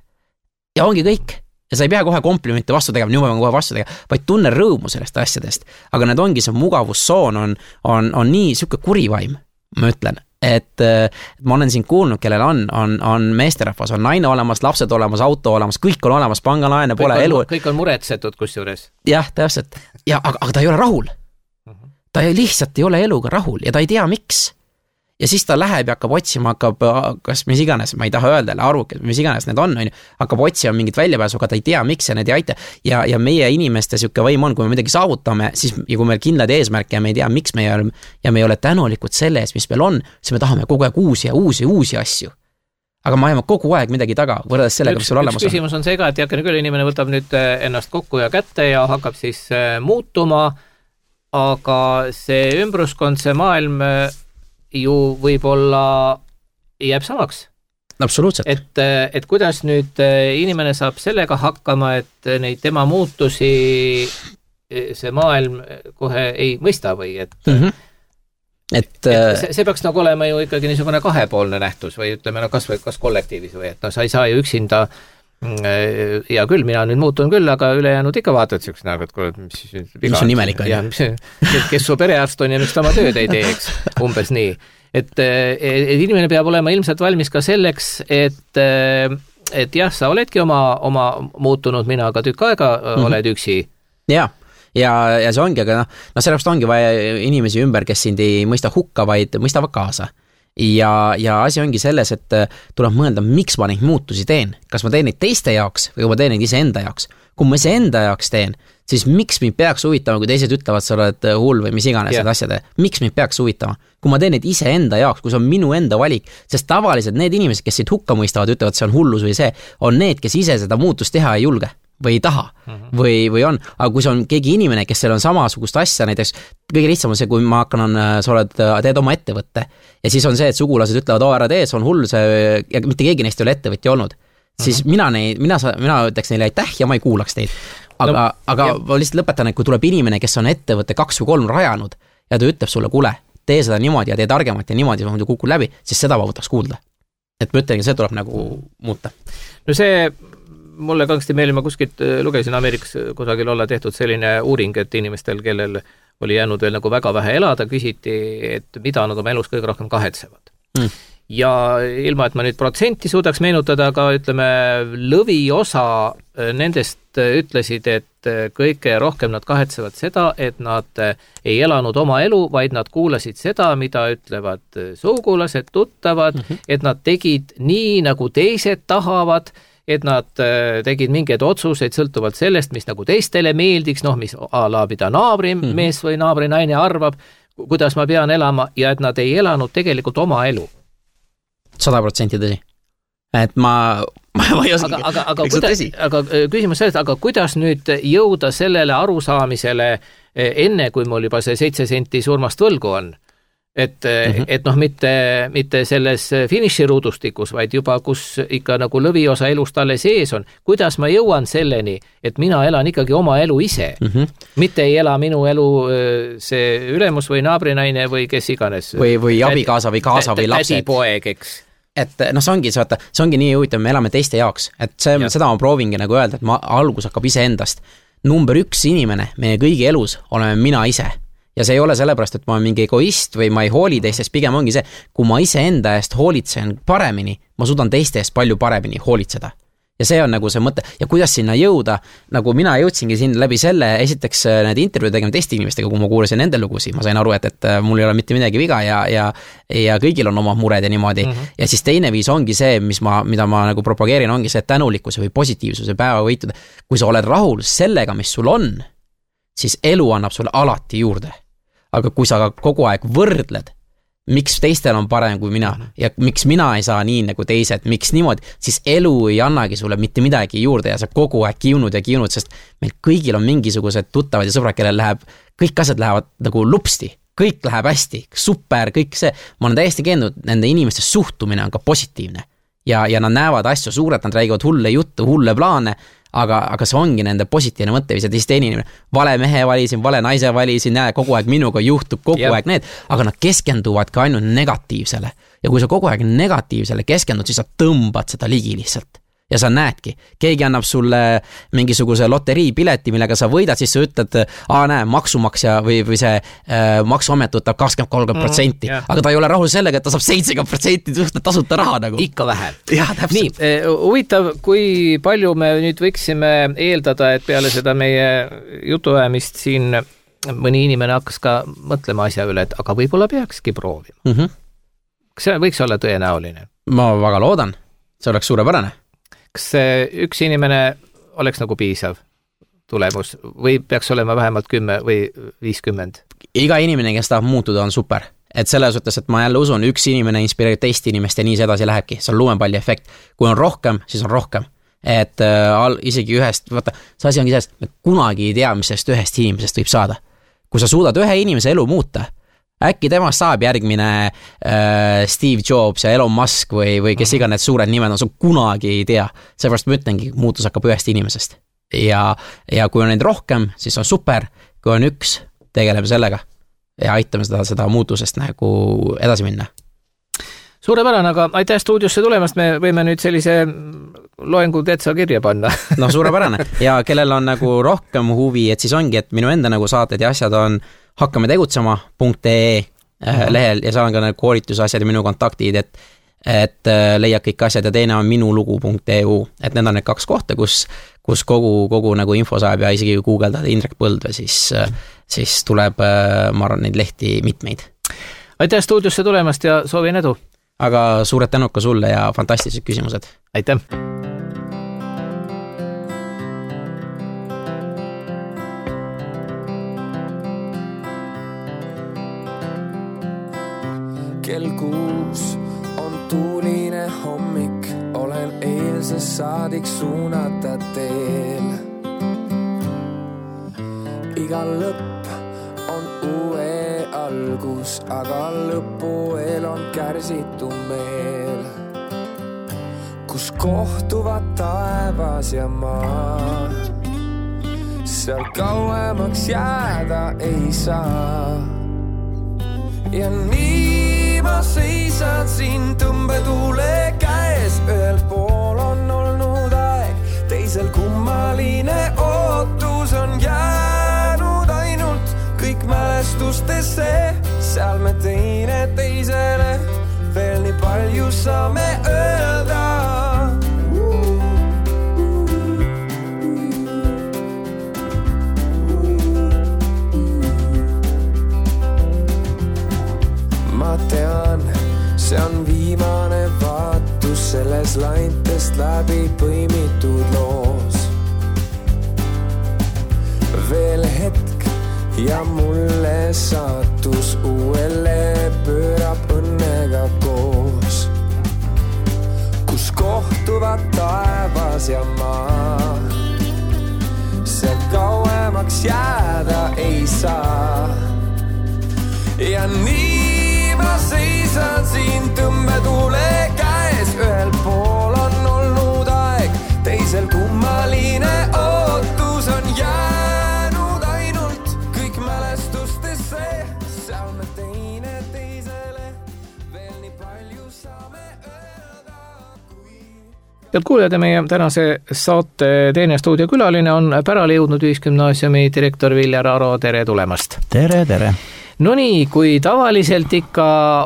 ja ongi kõik ja sa ei pea kohe komplimente vastu tegema, nüüd ma pean kohe vastu tegema, vaid tunne rõõmu sellest asjadest, aga need ongi see mugavussoon on, on, on nii süke kurivaim, ma ütlen. Et, et ma olen siin kuulnud, kellel on, on, on meesterahvas, on naine olemas, lapsed olemas, auto olemas, kõik on olemas, pangalaene pole kõik on, elu. Kõik on muretsetud kusjuures. Jah, täpselt. Ja, aga, aga ta ei ole rahul. Ta lihtsalt ei ole eluga rahul ja ta ei tea, miks. Ja siis ta läheb ja hakkab otsima, hakkab, kas mis iganes, ma ei taha öelda, arvuke, mis iganes need on, on, hakkab otsima mingit väljapääsu, aga ta ei tea, miks ja need ei aita. Ja, ja meie inimeste siuke võim on, kui me midagi saavutame, siis ja kui meil kindlad eesmärke ja me ei tea, miks me ei ole, ja me ei ole tänulikud selle ees, mis meil on, siis me tahame kogu aeg uusi ja uusi, uusi asju. Aga ma ajame kogu aeg midagi taga, võrreldes sellega, mis sul olemas on. Üks küsimus on see ka, et jakene küll inimene võtab nüüd ennast kokku ja kätte ja hakkab siis muutuma, aga see ümbruskond, see maailm ju võib-olla jääb samaks. Absoluutselt. Et, et kuidas nüüd inimene saab sellega hakkama, et neid tema muutusi see maailm kohe ei mõista või et, mm-hmm. et, et see, see peaks nagu olema ju ikkagi niisugune kahepoolne nähtus või ütleme, no kas, või, kas kollektiivis või et no sa ei saa ju üksinda ja küll, mina nüüd muutun küll, aga ülejäänud ikka vaatad siukse näoga, et kuule, mis, mis on imelik on. Ja, kes su perearst on ja miks ta oma tööd ei teeks, umbes nii. Et, et inimene peab olema ilmselt valmis ka selleks, et, et jah, sa oledki oma, oma muutunud mina, aga tükk aega mm-hmm. oled üksi. Jaa. Ja, ja see ongi, aga noh, no sellepärast ongi vaja inimesi ümber, kes sind ei mõista hukka, vaid mõistavad kaasa. Ja, ja asi ongi selles, et tuleb mõelda, miks ma neid muutusi teen. Kas ma teen neid teiste jaoks või ma teen neid ise enda jaoks. Kui ma ise enda jaoks teen, siis miks mind peaks huvitama, kui teised ütlevad, sa oled hull või mis iganes yeah. asjad. Miks mind peaks huvitama? Kui ma teen neid ise enda jaoks, kui see on minu enda valik, sest tavaliselt need inimesed, kes siit hukka mõistavad, ütlevad, see on hullus või see, on need, kes ise seda muutust teha ei julge või ei taha mm-hmm. või, või on, aga kui see on keegi inimene, kes seal on samasugust asja, näiteks kõige lihtsam on see, kui ma hakkan, on, sa oled, teed oma ettevõtte ja siis on see, et sugulased ütlevad, oo ära tee, see on hull see, ja mitte keegi neist ei ole ettevõtja olnud, siis mm-hmm. mina, neid, mina, mina ütleks neile aitäh ja ma ei kuulaks teid. Aga, no, aga ja... ma lihtsalt lõpetan, et kui tuleb inimene, kes on ettevõtte kaks või kolm rajanud ja ta ütleb sulle, kuule, tee seda niimoodi ja tee targemat ja niimoodi, muidu kukul läbi, siis seda ma võtaks kuulda. Et ma ütlengi, see tuleb nagu muuta. No see mulle kangsti meelima kuskilt lugesin Ameerikas kusagil olla tehtud selline uuring, et inimestel, kellel oli jäänud veel nagu väga vähe elada, küsiti, et mida nad oma elus kõige rohkem kahetsevad. Mm. ja ilma, et ma nüüd protsenti suudaks meenutada, aga ütleme, lõviosa nendest ütlesid, et kõige rohkem nad kahetsevad seda, et nad ei elanud oma elu, vaid nad kuulasid seda, mida ütlevad sugulased, tuttavad, mm -hmm. et nad tegid nii, nagu teised tahavad, et nad tegid mingeid otsuseid sõltuvalt sellest, mis nagu teistele meeldiks, noh, mis a la mida naabri mm -hmm. mees või naabri naine arvab, kuidas ma pean elama, ja et nad ei elanud tegelikult oma elu. sada protsenti tõsi. Et ma, ma, ma ei oska, aga, aga, aga, kuidas, aga küsimus sellest, aga kuidas nüüd jõuda sellele arusaamisele enne, kui mul juba see seitse senti surmast võlgu on? Et, mm -hmm. et noh, mitte, mitte selles finiširuudustikus, vaid juba, kus ikka nagu lõviosa elust alles sees on. Kuidas ma jõuan selleni, et mina elan ikkagi oma elu ise? Mm -hmm. Mitte ei ela minu elu see ülemus või naabrinaine või kes iganes. Või, või abikaasa või kaasa või lapsed. Tädipoeg, eks. Et noh, see ongi, vaata, see ongi nii huvitav, me elame teiste jaoks. Et see, seda ma proovingi nagu öelda, et ma, algus hakkab ise endast. Number üks inimene meie kõigi elus oleme mina ise. Ja see ei ole sellepärast, et ma olen mingi egoist või ma ei hooli teistest, pigem ongi see, kui ma ise enda eest hoolitsen paremini, ma suudan teiste eest palju paremini hoolitseda. Ja see on nagu see mõte. Ja kuidas sinna jõuda, nagu mina jõudsingi siin läbi selle, esiteks need intervjuud tegema teiste inimestega, kui ma kuulasin nende lugusid, ma sain aru, et, et mul ei ole mitte midagi viga ja, ja, ja kõigil on oma mured ja niimoodi. Mm -hmm. Ja siis teine viis ongi see, mis ma, mida ma nagu propageerin, ongi see tänulikkuse või positiivsuse päeva võituda. Kui sa oled rahul sellega, mis sul on, siis elu annab sulle alati juurde. Aga kui sa kogu aeg võrdled, miks teistel on parem kui mina ja miks mina ei saa nii nagu teised, miks niimoodi, siis elu ei annagi sulle mitte midagi juurde ja sa kogu aeg kiunud ja kiunud, sest meil kõigil on mingisugused tuttavad ja sõbrad, kellel läheb, kõik asjad lähevad nagu lupsti, kõik läheb hästi, super, kõik see. Ma olen täiesti keennud, nende inimeste suhtumine on ka positiivne ja, ja nad näevad asju suurelt, nad räägivad hulle juttu, hulle plaane, aga, aga see ongi nende positiivne mõtteviis ja teist inimene, vale mehe valisin, vale naise valisin, näe, kogu aeg minuga juhtub kogu yep. aeg need, aga nad keskenduvad ka ainult negatiivsele. Ja kui sa kogu aeg negatiivsele keskendud, siis sa tõmbad seda ligi lihtsalt. Ja sa näedki, keegi annab sulle mingisuguse loteriipileti, millega sa võidad, siis sa ütled, aa näe, maksumaksja või, või see äh, maksuamet võtab kakskümmend kolm protsenti, mm, yeah. aga ta ei ole rahul sellega, et ta saab seitsekümmend protsenti tasuta raha nagu. Ikka vähe. Ja, nii, huvitav, kui palju me nüüd võiksime eeldada, et peale seda meie jutuajamist siin mõni inimene hakkas ka mõtlema asja üle, et aga võib-olla peakski proovima. Mm -hmm. Kas see võiks olla tõenäoline? Ma väga loodan, see oleks suurepärane. Kas üks inimene oleks nagu piisav tulemus või peaks olema vähemalt kümme või viiskümmend? Iga inimene, kes tahab muutuda, on super. Et selles suhtes, et ma jälle usun, üks inimene inspireerib teist inimest ja nii see edasi lähebki. See on lumepalli efekt. Kui on rohkem, siis on rohkem. Et äh, isegi ühest, vaata, see asi ongi sellest, et kunagi ei tea, mis sellest ühest inimesest võib saada. Kui sa suudad ühe inimese elu muuta, äkki temast saab järgmine äh, Steve Jobs ja Elon Musk või, või kes iganes suured nimed on, sa kunagi ei tea. Seepärast ma ütlengi, muutus hakkab ühest inimesest. Ja, ja kui on neid rohkem, siis on super. Kui on üks, tegeleme sellega ja aitame seda, seda muutusest nagu edasi minna. Suurepärane, aga aitäh stuudiosse tulemast, me võime nüüd sellise loengu täitsa kirja panna. No suurepärane. Ja kellel on nagu rohkem huvi, et siis ongi, et minu enda nagu saated ja asjad on hakkame tegutsema punkt ee lehel ja seal on ka need koolitusasjad ja minu kontaktid, et, et leiad kõik asjad ja teine on minulugu punkt ee u, et need on need kaks kohta, kus, kus kogu, kogu nagu info saab ja isegi kui guugeldad Indrek Põldve, siis, siis tuleb, ma arvan, neid lehti mitmeid. Aitäh stuudiosse tulemast ja soovin edu! Aga suured tänud ka sulle ja fantastilised küsimused. Aitäh! Kell kuus on tuuline hommik, olen eilsest saadik suunata teel. Iga lõpp on uue algus, aga lõpueel on kärsitu meel, kus kohtuvad taevas ja maa. Seal kauemaks jääda ei saa. Ja nii ma seisan siin tõmbetuule käes, ühel pool on olnud aeg, teisel kummaline ootus on jäänud ainult kõik mälestustesse, seal me teine teisele veel nii palju palju saame öelda. Ma tean, see on viimane vaatus selles laintest läbi põimitud loos. Veel hetk ja mulle saatus uuele pöörab õnnega koos, kus kohtuvad taevas ja maa. See kauemaks jääda ei saa. Ja nii ma seisan siin tõmbetuule käes. Ühel pool on olnud aeg, teisel kummaline ootus on jäänud ainult kõik mälestustesse. Seal me teine teisele veel nii palju saame öelda, kui... Head kuulajad, meie tänase saate teine stuudiokülaline on pärale jõudnud Ühisgümnaasiumi direktor Viljar Aro. Tere tulemast! Tere, tere! No nii, kui tavaliselt ikka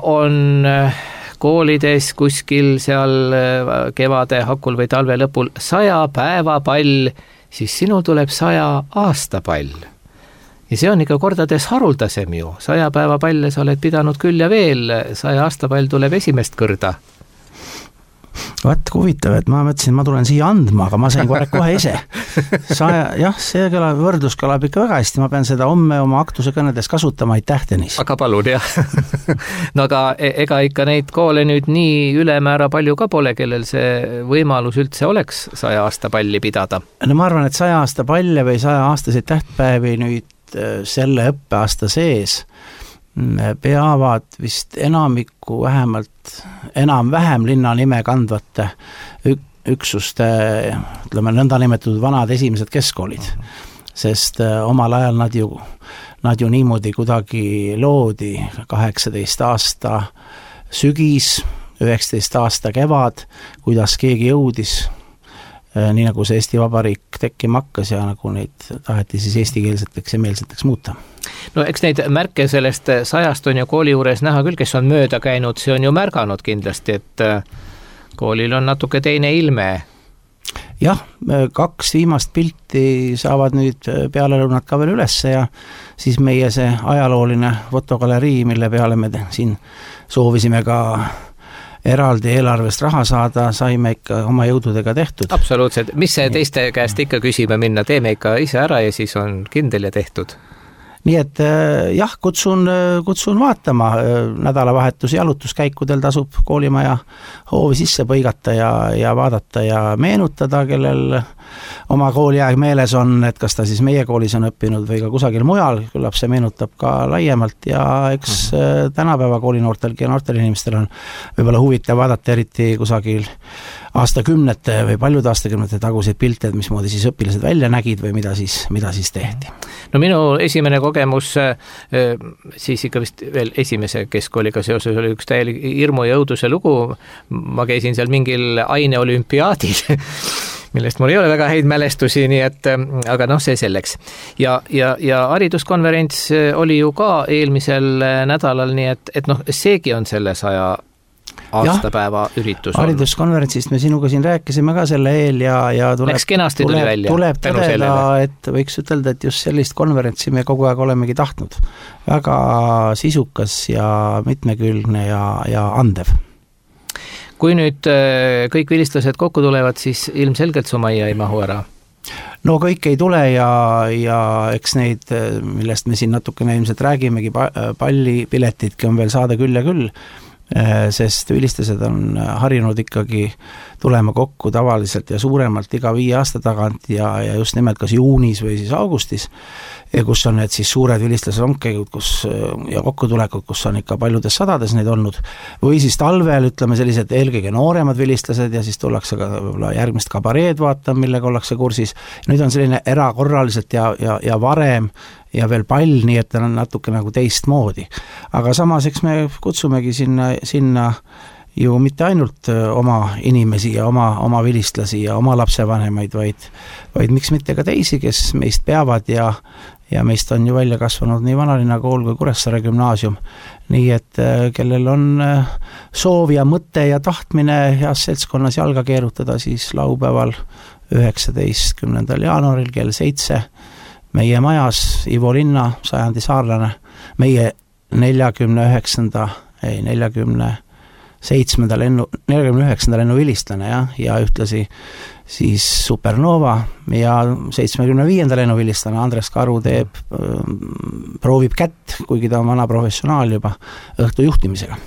on koolides kuskil seal kevade hakul või talve lõpul saja päeva pall, siis sinul tuleb saja aasta pall. Ja see on ikka kordades haruldasem ju. Saja päeva palle sa oled pidanud küll ja veel, saja aasta pall tuleb esimest kõrda. Vaat huvitav, et ma mõtlesin, ma tulen siia andma, aga ma sain kohe, kohe ise. Saja, jah, see kõlab, võrdlus kõlab ikka väga hästi, ma pean seda homme oma aktuse kõnedes kasutama, aitäh, Tõnis. Aga palun, jah. No aga ega ikka neid koole nüüd nii ülemäära palju ka pole, kellel see võimalus üldse oleks saja aasta palli pidada. No ma arvan, et saja aasta palle või saja aastaseid tähtpäevi nüüd selle õppeaasta sees peavad vist enamikku vähemalt enam-vähem linna nime kandvate üksuste, ütleme, nõnda nimetatud vanad esimesed keskkoolid, sest omal ajal nad ju, nad ju niimoodi kuidagi loodi kaheksateist aasta sügis, üheksateist aasta kevad, kuidas keegi jõudis, nii nagu see Eesti Vabariik tekkima hakkas ja nagu neid taheti siis eestikeelseteks ja meelseteks muuta. No eks neid märke sellest sajast on ju kooli juures näha küll, kes on mööda käinud, see on ju märganud kindlasti, et koolil on natuke teine ilme. Jah, kaks viimast pilti saavad nüüd peale lõunat ka veel ülesse ja siis meie see ajalooline fotogalerii, mille peale me siin soovisime ka eraldi eelarvest raha saada, saime ikka oma jõududega tehtud. Absoluutselt. Mis see teiste käest ikka küsima minna? Teeme ikka ise ära ja siis on kindel ja tehtud. Nii et jah, kutsun, kutsun vaatama. Nädalavahetusi jalutuskäikudel tasub koolimaja hoovi sisse põigata ja, ja vaadata ja meenutada, kellel oma kooliaeg meeles on, et kas ta siis meie koolis on õppinud või ka kusagil mujal, küllap see meenutab ka laiemalt ja eks mm-hmm. tänapäeva koolinoortelgi ja noortel inimestel on võib-olla huvitav vaadata eriti kusagil aastakümnete või paljude aastakümnete taguseid pilte, et mismoodi siis õpilased välja nägid või mida siis, mida siis tehti. No minu esimene kogemus siis ikka vist veel esimese keskkooliga seoses oli üks täielik hirmu ja õuduse lugu. Ma käisin seal mingil aineolümpiaadil, millest mul ei ole väga häid mälestusi, nii et, aga noh, see selleks. Ja, ja, ja hariduskonverents oli ju ka eelmisel nädalal, nii et, et noh, seegi on selle saja aastapäeva ja, üritus on. Hariduskonverentsist me sinuga siin rääkisime ka selle eel ja, ja tuleb, tuleb, tuleb tõdeda, et võiks ütelda, et just sellist konverentsi me kogu aeg olemegi tahtnud. Väga sisukas ja mitmekülgne ja, ja andev. Kui nüüd kõik vilistlased kokku tulevad, siis ilmselgelt su majja ei mahu ära? No kõik ei tule ja, ja eks neid, millest me siin natukene ilmselt räägimegi, pallipiletidki on veel saada küll ja küll, sest vilistlased on harinud ikkagi tulema kokku tavaliselt ja suuremalt iga viie aasta tagant ja, ja just nimelt kas juunis või siis augustis, kus on need siis suured vilistlasrongkäigud kus, ja kokkutulekud, kus on ikka paljudes sadades neid olnud, või siis talvel ütleme sellised eelkõige nooremad vilistlased ja siis tullakse ka järgmist kabareed vaatama, millega ollakse kursis. Nüüd on selline erakorraliselt ja, ja, ja varem ja veel pall, nii et on natuke nagu teist moodi. Aga samas, eks me kutsumegi sinna, sinna ju mitte ainult oma inimesi ja oma, oma vilistlasi ja oma lapsevanemaid, vaid, vaid miks mitte ka teisi, kes meist peavad ja, ja meist on ju välja kasvanud nii Vanalinna kool kui Kuressaare gümnaasium. Nii et kellel on soov ja mõte ja tahtmine heas seltskonnas jalga keerutada, siis laupäeval üheksateistkümnendal jaanuaril kell seitse meie majas Ivo Linna, sajandi saarlane, meie neljakümne üheksanda, ei, neljakümne seitsmenda lennu, neljakümne üheksanda lennu vilistlane ja, ja ühtlasi siis Supernova ja seitsmekümne viienda lennu vilistlane Andres Karu teeb, proovib kätt, kuigi ta on vana professionaal juba õhtu juhtimisega.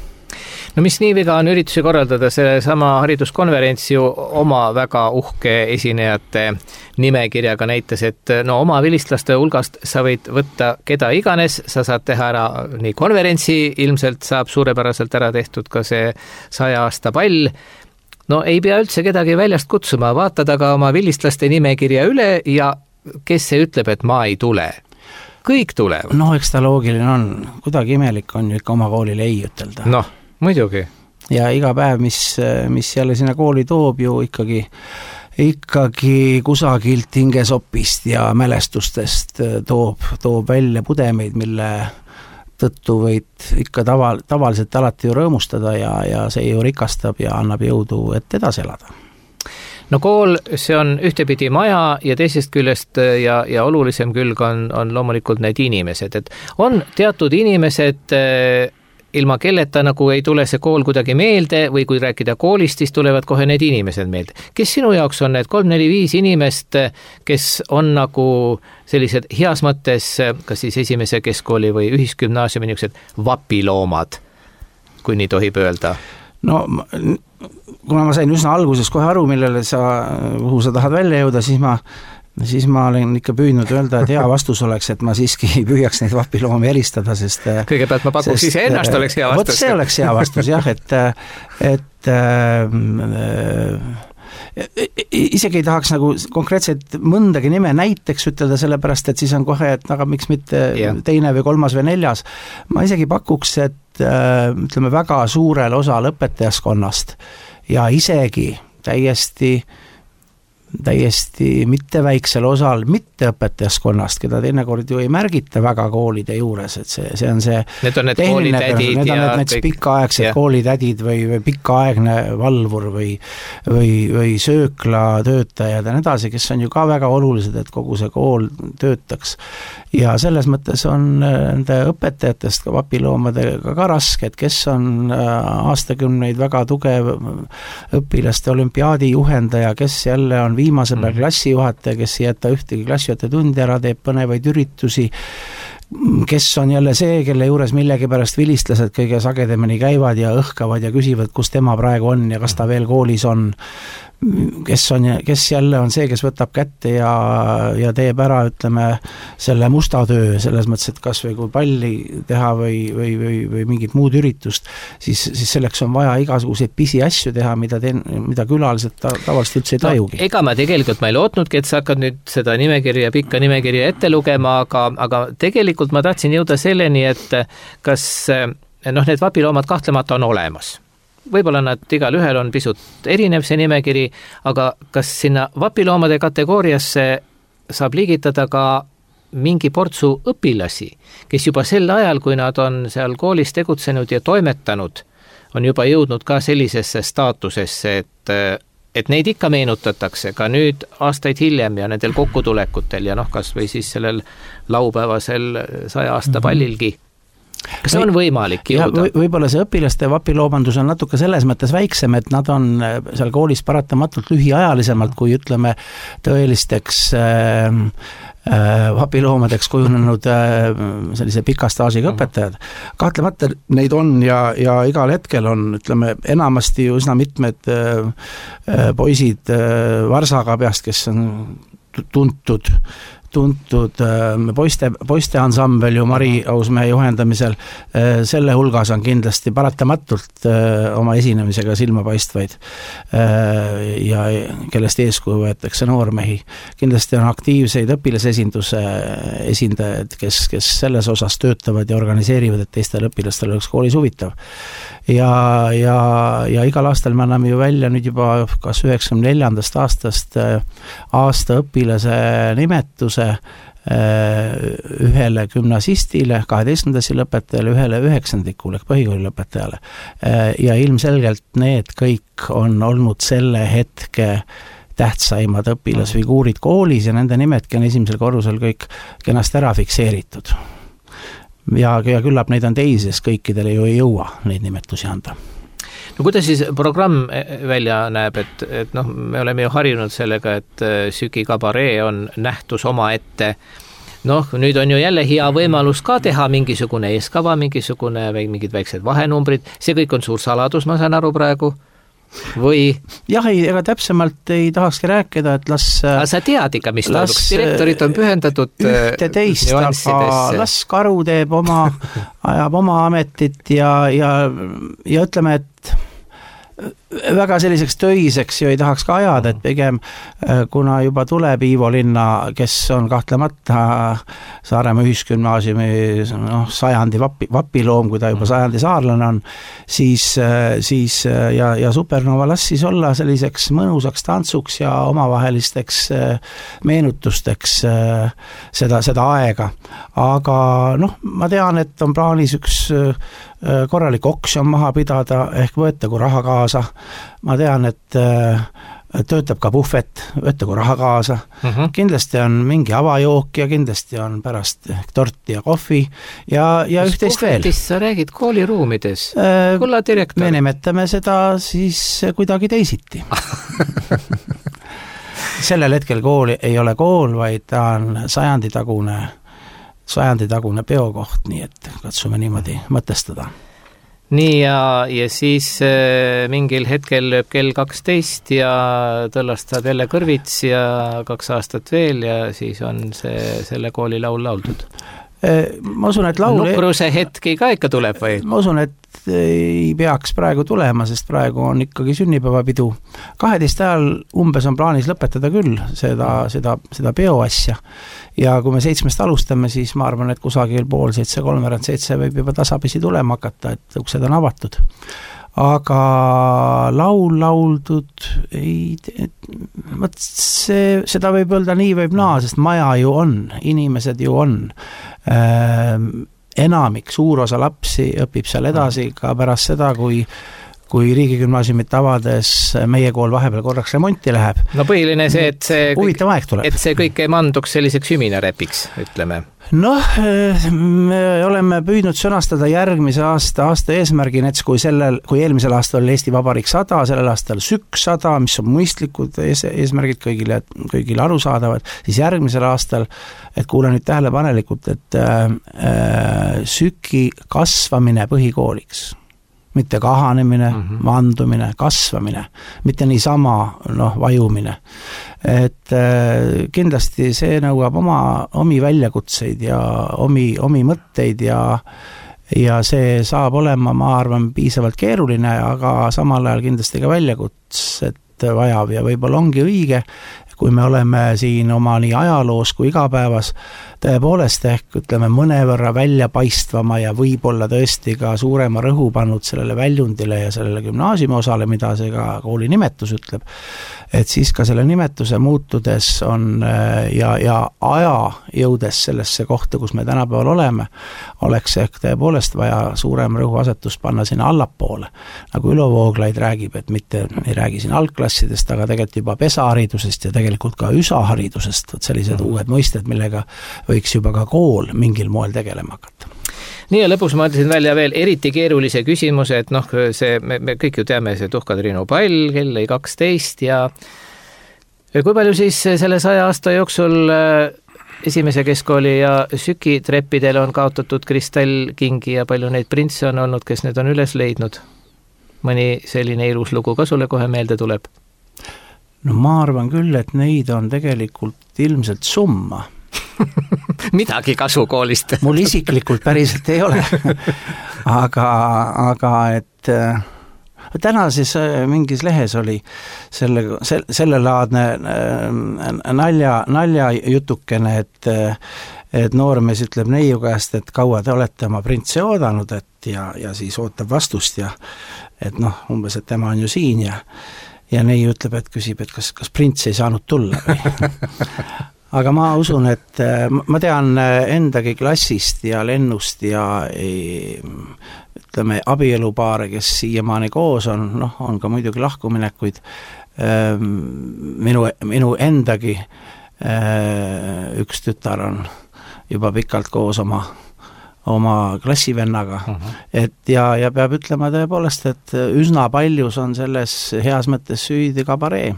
No mis nii viga on üritusi korraldada, selle sama hariduskonverents ju oma väga uhke esinejate nimekirjaga näitas, et no oma vilistlaste hulgast sa võid võtta keda iganes, sa saad teha ära nii konverentsi, ilmselt saab suurepäraselt ära tehtud ka see saja aasta pall. No ei pea üldse kedagi väljast kutsuma, vaatad aga oma vilistlaste nimekirja üle ja kes see ütleb, et ma ei tule. Kõik tulevad. No eks ta loogiline on, kuidagi imelik on ju ikka oma koolile ei ütelda. Noh, muidugi. Ja iga päev, mis, mis jälle sinna kooli toob ju ikkagi, ikkagi kusagilt hingesopist ja mälestustest toob, toob välja pudemeid, mille tõttu võid ikka taval, tavaliselt alati ju rõõmustada ja, ja see ju rikastab ja annab jõudu, et edasi elada. No kool, see on ühtepidi maja ja teisest küljest ja, ja olulisem külg on, on loomulikult need inimesed, et on teatud inimesed, ilma kelleta nagu ei tule see kool kuidagi meelde või kui rääkida koolist, siis tulevad kohe need inimesed meelde. Kes sinu jaoks on need kolm, neli, viis inimest, kes on nagu sellised heas mõttes, kas siis esimese keskkooli või ühisgümnaasiumi niisugused vapiloomad, kui nii tohib öelda? No kuna ma sain üsna alguses kohe aru, millele sa, kuhu sa tahad välja jõuda, siis ma siis ma olen ikka püüdnud öelda, et hea vastus oleks, et ma siiski püüaks neid vapiloomi eristada, sest kõigepealt ma pakuks ise ennast oleks hea vastus. Vot see oleks hea vastus, jah, et et äh, isegi ei tahaks nagu konkreetselt mõndagi nime näiteks ütelda, sellepärast, et siis on kohe, et aga miks mitte yeah. teine või kolmas või neljas. Ma isegi pakuks, et äh, ütleme väga suurel osal õpetajaskonnast ja isegi täiesti täiesti mitte väiksel osal mitteõpetajaskonnast, keda teinekord ju ei märgita väga koolide juures, et see, see on see need on need koolitädid need on need, need pikaaegsed yeah. koolitädid või, või pikaaegne valvur või, või, või sööklatöötajad ja nii edasi, kes on ju ka väga olulised, et kogu see kool töötaks. Ja selles mõttes on nende õpetajatest ka vapiloomadega ka raske, et kes on aastakümneid väga tugev õpilaste olümpiaadi juhendaja, kes jälle on viimase peal klassijuhataja, kes ei jäta ühtegi klassijuhataja tundi ära, teeb põnevaid üritusi, kes on jälle see, kelle juures millegipärast vilistlased kõige sagedamini käivad ja õhkavad ja küsivad, kus tema praegu on ja kas ta veel koolis on, kes on, kes jälle on see, kes võtab kätte ja, ja teeb ära, ütleme, selle musta töö, selles mõttes, et kas või kui palli teha või, või, või, või mingit muud üritust, siis, siis selleks on vaja igasuguseid pisi asju teha, mida, teen, mida külalised ta, tavaliselt üldse ei tajugi. No, ega ma tegelikult ma ei lootnudki, et sa hakkad nüüd seda nimekirja, pikka nimekirja ette lugema, aga, aga tegelikult ma tahtsin jõuda selleni, et kas noh, need vapiloomad kahtlemata on olemas. Võib-olla nad igal ühel on pisut erinev see nimekiri, aga kas sinna vapiloomade kategooriasse saab liigitada ka mingi portsu õpilasi, kes juba sel ajal, kui nad on seal koolis tegutsenud ja toimetanud, on juba jõudnud ka sellisesse staatusesse, et, et neid ikka meenutatakse ka nüüd aastaid hiljem ja nendel kokkutulekutel ja noh, kas või siis sellel laupäevasel saja aasta pallilgi. Kas see on võimalik jõuda? Või, võib-olla see õpilaste vapiloomandus on natuke selles mõttes väiksem, et nad on seal koolis paratamatult lühiajalisemalt, kui ütleme tõelisteks äh, äh, vapiloomadeks kujunenud äh, sellise pika staažiga õpetajad. Kahtlemata neid on ja, ja igal hetkel on, ütleme, enamasti üsna mitmed äh, poisid äh, Varsaga peast, kes on tuntud tuntud poiste, poiste ansambel ju Mari Ausmäe juhendamisel, selle hulgas on kindlasti paratamatult oma esinemisega silmapaistvaid ja kellest eeskuju võetakse noormehi. Kindlasti on aktiivseid õpilasesinduse esindajad, kes, kes selles osas töötavad ja organiseerivad, et teistel õpilastel oleks koolis huvitav. Ja, ja, ja igal aastal me anname ju välja nüüd juba kas üheksakümne neljandast aastast aasta õpilase nimetuse võimaluse ühele gümnasistile, kaheteistkümnendasi lõpetajale, ühele üheksandikule ehk põhikooli lõpetajale. Ja ilmselgelt need kõik on olnud selle hetke tähtsaimad õpilasfiguurid koolis ja nende nimetki on esimesel korrusel kõik kenasti ära fikseeritud. Ja, ja küllap neid on teisi, sest kõikidele ju ei jõua neid nimetusi anda. No kuidas siis programm välja näeb, et, et noh, me oleme ju harjunud sellega, et Süki kabaree on nähtus oma ette. Noh, nüüd on ju jälle hea võimalus ka teha mingisugune eeskava, mingisugune või mingid väiksed vahenumbrid. See kõik on suur saladus, ma saan aru praegu. Või? Jah, ei, ega täpsemalt ei tahakski rääkida, et las... Aga sa tead ikka, mis toimuks. Direktorid on pühendatud ühte teist, aga las Karu teeb oma, ajab oma ametit ja, ja, ja ütleme, et väga selliseks töiseks ju ei tahaks ka ajada, et pigem kuna juba tuleb Iivo Linna, kes on kahtlemata Saaremaa ühisgümnaasiumi noh, sajandi vapi, vapiloom, kui ta juba sajandi saarlane on, siis, siis ja, ja Supernova las siis olla selliseks mõnusaks tantsuks ja omavahelisteks meenutusteks seda, seda aega. Aga noh, ma tean, et on plaanis üks korralik oksjon maha pidada, ehk võetagu raha kaasa. Ma tean, et töötab ka puhvet, võetagu raha kaasa. Uh-huh. Kindlasti on mingi avajook ja kindlasti on pärast torti ja kohvi ja, ja üht-teist veel. Mis sa räägid kooliruumides? Kulla direktor. Me nimetame seda siis kuidagi teisiti. Sellel hetkel kool ei ole kool, vaid ta on sajanditagune sajanditagune peokoht, nii et katsume niimoodi mõtestada. Nii ja, ja siis äh, mingil hetkel lööb kell kaksteist ja tõllastad jälle kõrvits ja kaks aastat veel ja siis on see, selle kooli laul lauldud. Ma usun, et laul... Nukruse hetki ka ikka tuleb või? Ma usun, et ei peaks praegu tulema, sest praegu on ikkagi sünnipäevapidu. kaheteist ajal umbes on plaanis lõpetada küll seda, seda, seda peoasja. Ja kui me seitsmest alustame, siis ma arvan, et kusagil pool seitse, kolmveerand seitse võib juba tasapisi tulema hakata, et uksed on avatud. Aga laul lauldud ei, võt see, seda võib öelda nii võib naa, sest maja ju on, inimesed ju on. Enamik, suur osa lapsi õpib seal edasi ka pärast seda, kui kui riigigümnaasiumit avades meie kool vahepeal korraks remonti läheb. No põhiline see, et see, kõik, aeg tuleb. et see kõik ei manduks selliseks hüminarepiks, ütleme. Noh, me oleme püüdnud sõnastada järgmise aasta aasta eesmärgi, näiteks kui, sellel, kui eelmisel aastal oli Eesti Vabariik sada, sellel aastal Sük sada, mis on mõistlikud ees, eesmärgid kõigile, kõigile arusaadavad, siis järgmisel aastal, et kuule nüüd tähelepanelikult, et äh, Süki kasvamine põhikooliks, mitte kahanemine, mm-hmm. vandumine, kasvamine, mitte niisama noh, vajumine. Et äh, kindlasti see nõuab oma, omi väljakutseid ja omi, omi mõtteid ja, ja see saab olema, ma arvan, piisavalt keeruline, aga samal ajal kindlasti ka väljakutset vajav ja võib-olla ongi õige, kui me oleme siin oma nii ajaloos kui igapäevas tõepoolest ehk ütleme mõnevõrra väljapaistvama ja võib-olla tõesti ka suurema rõhu pannud sellele väljundile ja sellele gümnaasiumi osale, mida see ka kooli nimetus ütleb, et siis ka selle nimetuse muutudes on ja, ja aja jõudes sellesse kohta, kus me tänapäeval oleme, oleks ehk tõepoolest vaja suurem rõhuasetus panna sinna allapoole. Nagu Ülo Vooglaid räägib, et mitte ei räägi siin algklassidest, aga tegelikult juba pesaharidusest ja tegelikult ka üsaharidusest, sellised uued mõisted, millega võiks juba ka kool mingil moel tegelema hakata. Nii ja lõpus ma ütlesin välja veel eriti keerulise küsimuse, et noh, see, me, me kõik ju teame see Tuhka-Triinu pall, kell ei kaksteist ja kui palju siis selle saja aasta jooksul esimese keskkooli ja Süki treppidel on kaotatud kristallkingi ja palju neid printse on olnud, kes need on üles leidnud? Mõni selline ilus lugu ka sulle kohe meelde tuleb? No ma arvan küll, et neid on tegelikult ilmselt summa. Midagi kasu koolist. Mul isiklikult päriselt ei ole. aga, aga et äh, täna siis äh, mingis lehes oli selle, se, sellelaadne äh, nalja, nalja jutukene, et, äh, et noormees ütleb neiu käest, et kaua te olete oma printse oodanud, et ja, ja siis ootab vastust ja et noh, umbes, et tema on ju siin ja ja neiu ütleb, et küsib, et kas, kas prints ei saanud tulla või? aga ma usun, et ma tean endagi klassist ja Lennust ja ütleme abielupaare, kes siiamaani koos on, noh, on ka muidugi lahkuminekuid, minu, minu endagi üks tütar on juba pikalt koos oma oma klassivennaga, uh-huh. et ja, ja peab ütlema tõepoolest, et üsna paljus on selles heas mõttes süüdi kabaree,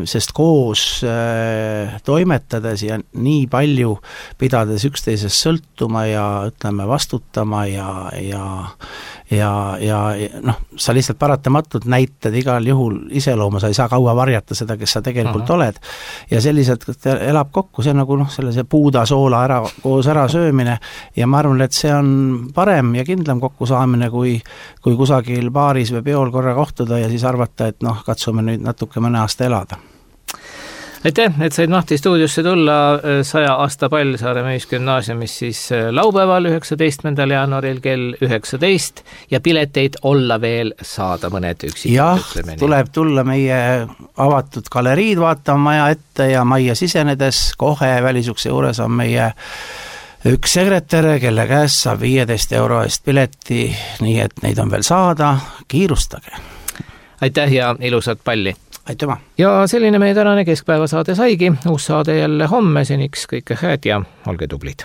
sest koos äh, toimetades ja nii palju pidades üksteisest sõltuma ja ütleme vastutama ja, ja, ja, ja noh, sa lihtsalt paratamatult näitad igal juhul iseloomu, sa ei saa kaua varjata seda, kes sa tegelikult uh-huh. oled ja selliselt elab kokku, see on nagu noh, sellise puuda soola ära, koos ära söömine ja ma arvan, et see on parem ja kindlam kokkusaamine, kui, kui kusagil baaris või peol korra kohtuda ja siis arvata, et noh, katsume nüüd natuke mõne aasta elada. Aitäh, et said Mahti stuudiosse tulla saja aasta pall Saaremaa Ühisgümnaasiumis siis laupäeval üheksateistkümnendal jaanuaril kell üheksateist ja pileteid olla veel saada mõned üksikud. Jah, tuleb tulla meie avatud galeriid vaatama maja ette ja majja sisenedes kohe välisukse juures on meie üks sekretär, kelle käest saab viieteist euro eest pileti, nii et neid on veel saada, kiirustage. Aitäh ja ilusat palli! Aitüma. Ja selline meie tänane keskpäevasaade saigi, uus saade jälle homme, seniks kõike head ja olge tublid.